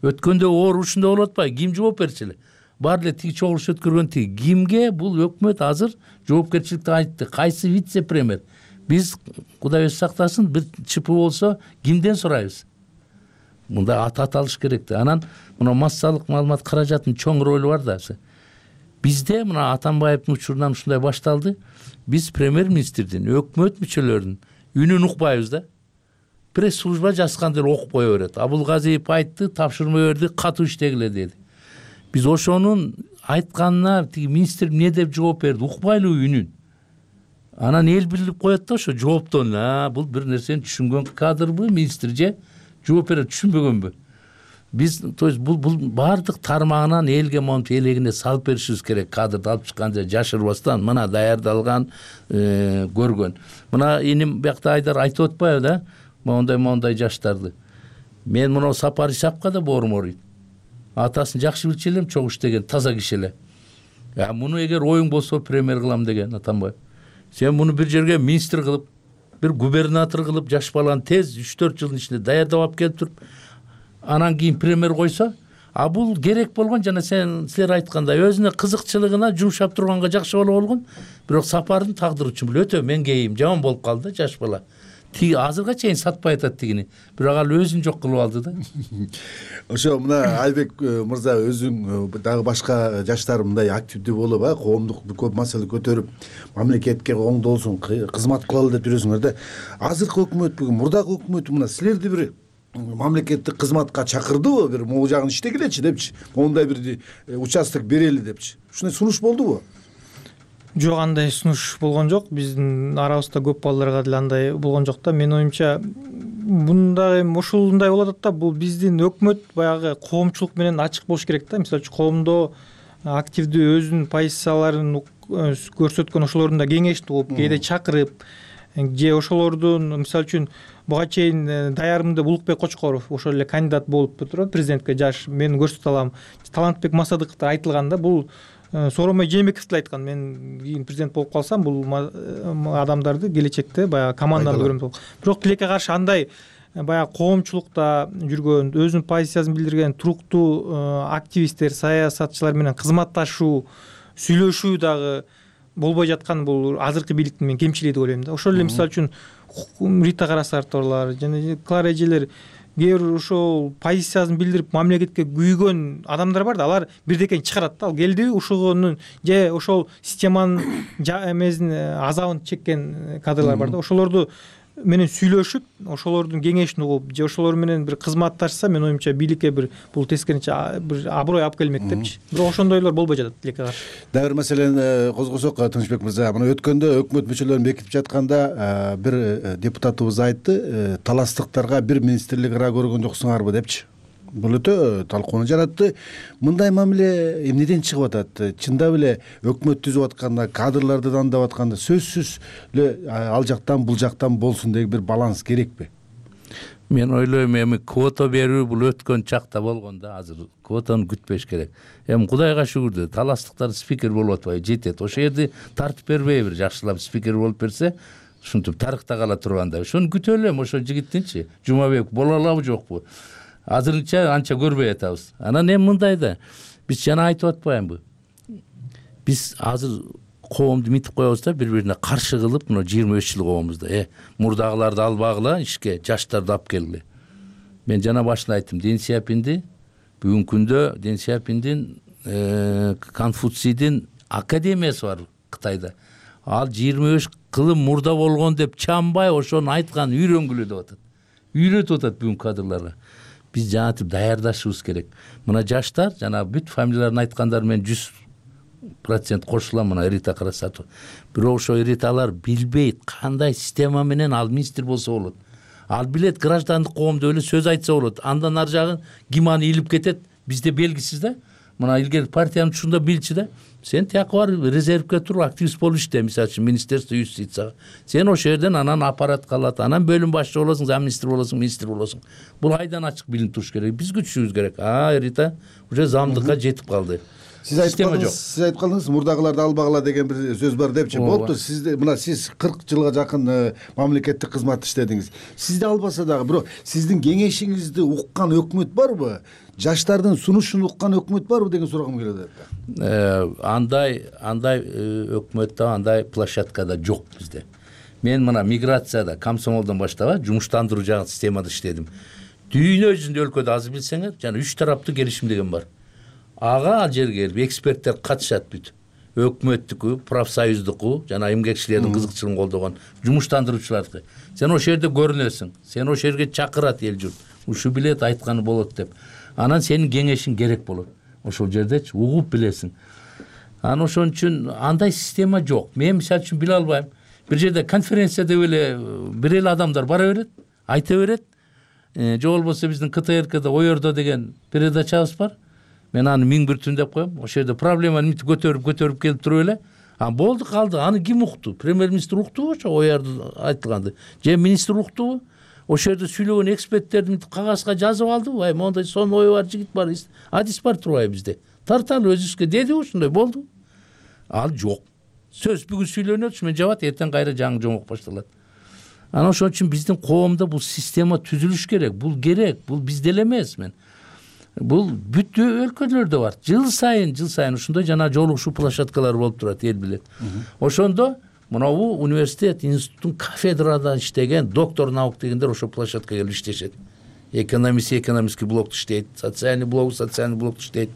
Өткөндө оор ушундай болуп атпайбы? Ким жооп берчү эле? Бар эле тиги чогулуш өткөргөн тиги. Кимге бул өкмөт азыр жоопкерчиликти айтты? Кайсы вице премьер? Биз Кудай өзү сактасын, бир чыпы болсо кимден сурайбыз? Мында ат аталыш керек да. Анан мына массалык маалымат каражатынын чоң ролу бар да. Бизде мына Атамбаевдин учурунан ушундай башталды. Биз премьер-министрдин, өкмөт мүчөлөрүнүн үнүн укпайбыз да. Пресс-служба жазгандыр окуп кое берет. Абылгазиев айтты, тапшырма берди, катуу иштегиле деди. Биз ошонун айтканына тиги министр эмне деп жооп берди, укпайлы үнүн. Анан эл билип коет да ошо жооптон, а бул бир нерсени түшүнгөн кадрбы, министр же жооп берет, түшүнбөгөнбү? Биз, то есть бул бул бардык тармагынан элге монтип элегине салып беришибиз керек. Кадрды алып чыкканда жашырбастан, мына даярдалган, көргөн. Мына иним биякта Айдар айтып атпайбы да? Мондай мондай жаштарды. Мен мына Сапар Исаковго да боорум ооруйт. Атасын жакшы билчү элем, чогуу иштеген, таза киши эле. Я муну эгер оюң болсо премьер кылам деген Атамбаев. Сен муну бир жерге министр кылып, бир губернатор кылып, жаш баланы тез үч төрт жылдын ичинде даярдап алып келип туруп, анан кийин премьер койсо, а бул керек болгон, жана сен силер айткандай, өзүнө кызыкчылыгына жумшап турганга жакшы боло болгон. Бирок Сапардын тагдыры үчүн бул өтө меңгейим, жаман болуп калды да жаш бала. Тиги азырга чейин сатпай атат тигини. Бирок ал өзүн жок кылып алды да. Ошо мына Айбек мырза өзүң дагы башка жаштар мындай активдүү болуп, а коомдук көп маселе көтөрүп, мамлекетке оңдолсун, кызмат кылалы деп жүрөсүңөр да. Азыркы өкмөт бүгүн, мурдагы өкмөт мына силерди бир мамлекеттик кызматка чакырдыбы, бир могу жагын иштегилечи депчи, мондай бир участок берели депчи. Ушундай сунуш болдубу? Жок, андай сунуш болгон жок. Биздин арабызда көп балдарга деле андай болгон жок да. Менин оюмча мындай ушундай болуп атат да. Бул биздин өкмөт баягы коомчулук менен ачык болуш керек да. Мисалы үчүн коомдо активдүү өзүнүн позицияларын көрсөткөн ошолордун да кеңешти кылып, кээде чакырып, же ошолордун мисалы үчүн буга чейин даярымды Улукбек Кочкоров ошол эле кандидат болуп турат президентке, жаш мен көрсөтө алам. Талантбек Масадыковдор айтылган да. Бул Сооронбай Жээнбеков деле айткан, мен кийин президент болуп калсам бул адамдарды келечекте баягы команданы көрөм деп. Бирок тилекке каршы андай баягы коомчулукта жүргөн, өзүнүн позициясын билдирген туруктуу активисттер, саясатчылар менен кызматташуу, сүйлөшүү дагы болбой жаткан бул азыркы бийликтин мен кемчилиги деп ойлойм да. Ошол эле мисалы үчүн Рита Карасарторлор жана Клара эжелер кээ бир ошол позициясын билдирип мамлекетке күйгөн адамдар бар да, алар бирдекени чыгарат да. Ал келдиби ушугунун же ошол системанын эмесин азабын чеккен кадрлар бар да. Ошолорду менен сүйлөшүп, ошолордун кеңешин угуп же ошолор менен бир кызматташса, мен оюмча бийликке бир бул тескерисинче бир аброй алып келмек депчи. Бирок ошондойлор болбой жатат тилекке каршы. Дагы бир маселени козгосок, Тынычбек мырза, мына өткөндө өкмөт мүчөлөрүн бекитип жатканда бир депутатыбыз айтты, таластыктарга бир министрлик ара көргөн жоксуңарбы депчи. Бул өтө талкууну жаратты. Мындай мамиле эмнеден чыгып атат? Чындап эле өкмөт түзүп атканда, кадрларды дандап атканда сөзсүз эле ал жактан бул жактан болсун деген бир баланс керекпи? Мен ойлойм, эми квота берүү бул өткөн чакта болгон да, азыр квотаны күтпеш керек. Эми Кудайга шүгүр, таластыктар спикер болуп атпайбы, жетет. Ошол жерде тартып бербейбир, жакшылап спикер болуп берсе, ушинтип тарыхта кала турганда. Ошону күтө элем, ошол жигиттинчи. Жумабек боло алабы жокпу? Азырынча анча көрбөй атабыз. Анан эми мындай да, биз жана айтып атпаймынбы? Биз азыр коомду митип коебуз да, бири-бирине каршы кылып, мына жыйырма беш жыл коомузда, э, мурдагыларды албагыла, ишке жаштарды алып келгиле. Мен жана башында айттым, Дэн Сяопинди бүгүнкү күндө Дэн Сяопиндин Конфуцийдин академиясы бар Кытайда. Ал жыйырма беш кылым мурда болгон деп чамбай ошону айткан, үйрөнгүлө деп атат. Үйрөтүп атат бүгүнкү кадрларга. Биз жанатып даярдашыбыз керек. Мына жаштар, жана бүт фамилияларын айткандар мен жүз процент кошулам, мына Рита Карасатова. Бирок ошо Риталар билбейт кандай система менен ал министр болсо болот. Ал билет граждандык коомдо эле сөз айтса болот. Андан ар жагын ким аны илип кетет, бизде белгисиз да. Мына илгери партиянын ушунда билчи да. Сен тияка бар резервге туруп активист болуп иште, мисалы үчүн министерство юстицияга. Сен ошол жерден анан аппарат калат, анан бөлүм башчы болосуң, замминистр болосуң, министр болосуң. Бул айдан ачык билинип туруш керек. Биз күтүшүбүз керек. А, Рита уже замдыкка жетип калды. Сиз айтып калдыңыз, сиз айтып калдыңыз, мурдагыларды албагыла деген бир сөз бар депчи. Болупту, сиз мына сиз кырк жылга жакын мамлекеттик кызмат иштедиңиз. Сизди албаса дагы, бирок сиздин кеңешиңизди уккан өкмөт барбы? Жаштардын сунушун уккан өкмөт барбы деген сурагым келет. Андай, андай өкмөттө андай площадкада жок бизде. Мен мына миграцияда, комсомолдон баштап, жумуштандыруу жагы системада иштедим. Дүйнө жүзүндө өлкөдө азыр билсеңер, жана үч тараптуу келишим деген бар. Ага ал жерге келип эксперттер катышат бүт. Өкмөттүкү, профсоюздуку, жана эмгекчилердин кызыкчылыгын колдогон жумуштандыруучулардыкы. Сен ошол жерде көрүнөсүң. Сен ошол жерге чакырат эл журт. Ушу билет айтканы болот деп. Анан сенин кеңешиң керек болот. Ошол жердечи угуп билесиң. Анан ошон үчүн андай система жок. Мен мисалы үчүн биле албайм. Бир жерде конференцияда эле бир эле адамдар бара берет, айта берет. Же болбосо биздин К Т Р К'да Оердо деген передачабыз бар. Мен аны миң бир түн деп коем. Ошол жерде проблеманы мынтип көтөрүп көтөрүп келип туруп эле. А болду калды. Аны ким укту? Премьер-министр уктубу ошо Оердо айтылганды? Же министр уктубу? Ошол жерде сүйлөгөн эксперттерди мынтип кагазга жазып алдыбы? Ай, мондай сон ою бар жигит бар, адис бар турбайбы бизде? Тарталы өзүбүзгө деди ушундай болду. Ал жок. Сөз бүгүн сүйлөнөт, мен жабат, эртең кайра жаңы жомок башталат. Анан ошон үчүн биздин коомдо бул система түзүлүш керек. Бул керек. Бул бизде эле эмес мен. Бул бүт өлкөлөрдө бар. Жыл сайын, жыл сайын ушундай жана жолугушуу площадкалары болуп турат, эл билет. Ошондо мынабу университет, институттун кафедрада иштеген доктор наук дегендер ошол площадкага келип иштешет. Экономист, экономистский блокто иштейт, социальный блок, социальный блокто иштейт.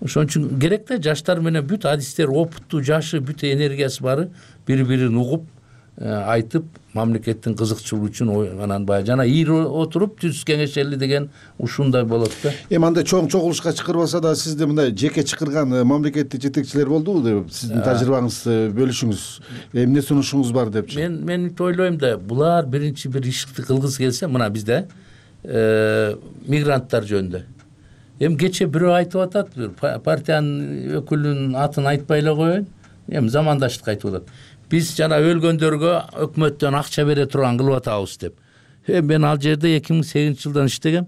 Ошон үчүн керек да, жаштар менен бүт адистер, опыттуу, жашы, бүт энергиясы бары бири-бирин угуп, айтып, мамлекеттин кызыкчылыгы үчүн анан баягы жана ийри отуруп түз кеңешели деген ушундай болот да. Эми андай чоң чогулушка чакырбаса да, сизде мындай жеке чакырган мамлекеттик жетекчилер болдубу деп сиздин тажрыйбаңызды бөлүшүңүз. Эмне сунушуңуз бар депчи? Мен мен ойлойм да, булар биринчи бир ишти кылгысы келсе, мына бизде мигранттар жөнүндө. Эми кече бирөө айтып атат, партиянын өкүлүнүн атын айтпай эле коеюн. Эми замандаштык айтып атат. Биз жана өлгөндөргө өкмөттөн акча бере турган кылып атабыз деп. Мен ал жерде эки миң сегизинчи жылдан иштегем.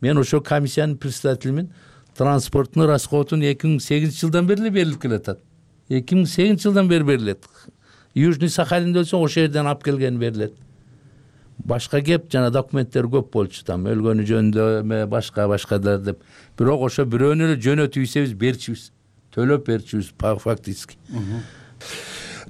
Мен ошо комиссиянын председателимин. транспорттун расходун эки миң сегизинчи жылдан бери эле берилип келатат. эки миң сегизинчи жылдан бери берилет. Южный Сахалинде өлсөң ошол жерден алып келген берилет. Башка кеп жана документтер көп болчу, там өлгөнү жөнүндө эме башка башкалар деп. Бирок ошо бирөөнү эле жөнөтүп ийсебиз берчүбүз. Төлөп берчүбүз фактически.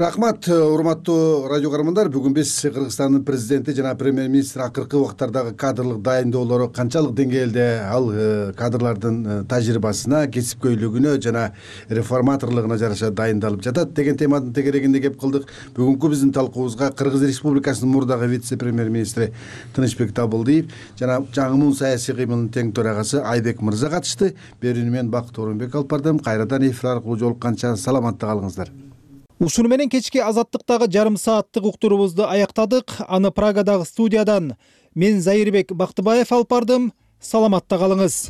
Рахмат, урматтуу радио көрөрмандар. Бүгүн биз Кыргызстандын президенти жана премьер-министр акыркы убактардагы кадрлык дайындоолору канчалык деңгээлде, ал кадрлардын тажрыйбасына, кесипкөйлүгүнө жана реформаторлугуна жараша дайындалып жатат деген теманын тегерегинде кеп кылдык. Бүгүнкү биздин талкуубузга Кыргыз Республикасынын мурдагы вице-премьер-министри Тынычбек Табылдиев жана жаңымун саясий кыймылдын тең төрагасы Айбек мырза катышты. Берүүнү мен Бакыт Орунбек алып бардым. Кайрадан эфир аркылуу жолукканча саламатта калыңыздар. Ушуну менен кечки азаттыктагы жарым сааттык уктуруубузду аяктадык. Аны Прагадагы студиядан мен Зайырбек Бактыбаев алып бардым. Саламатта калыңыз.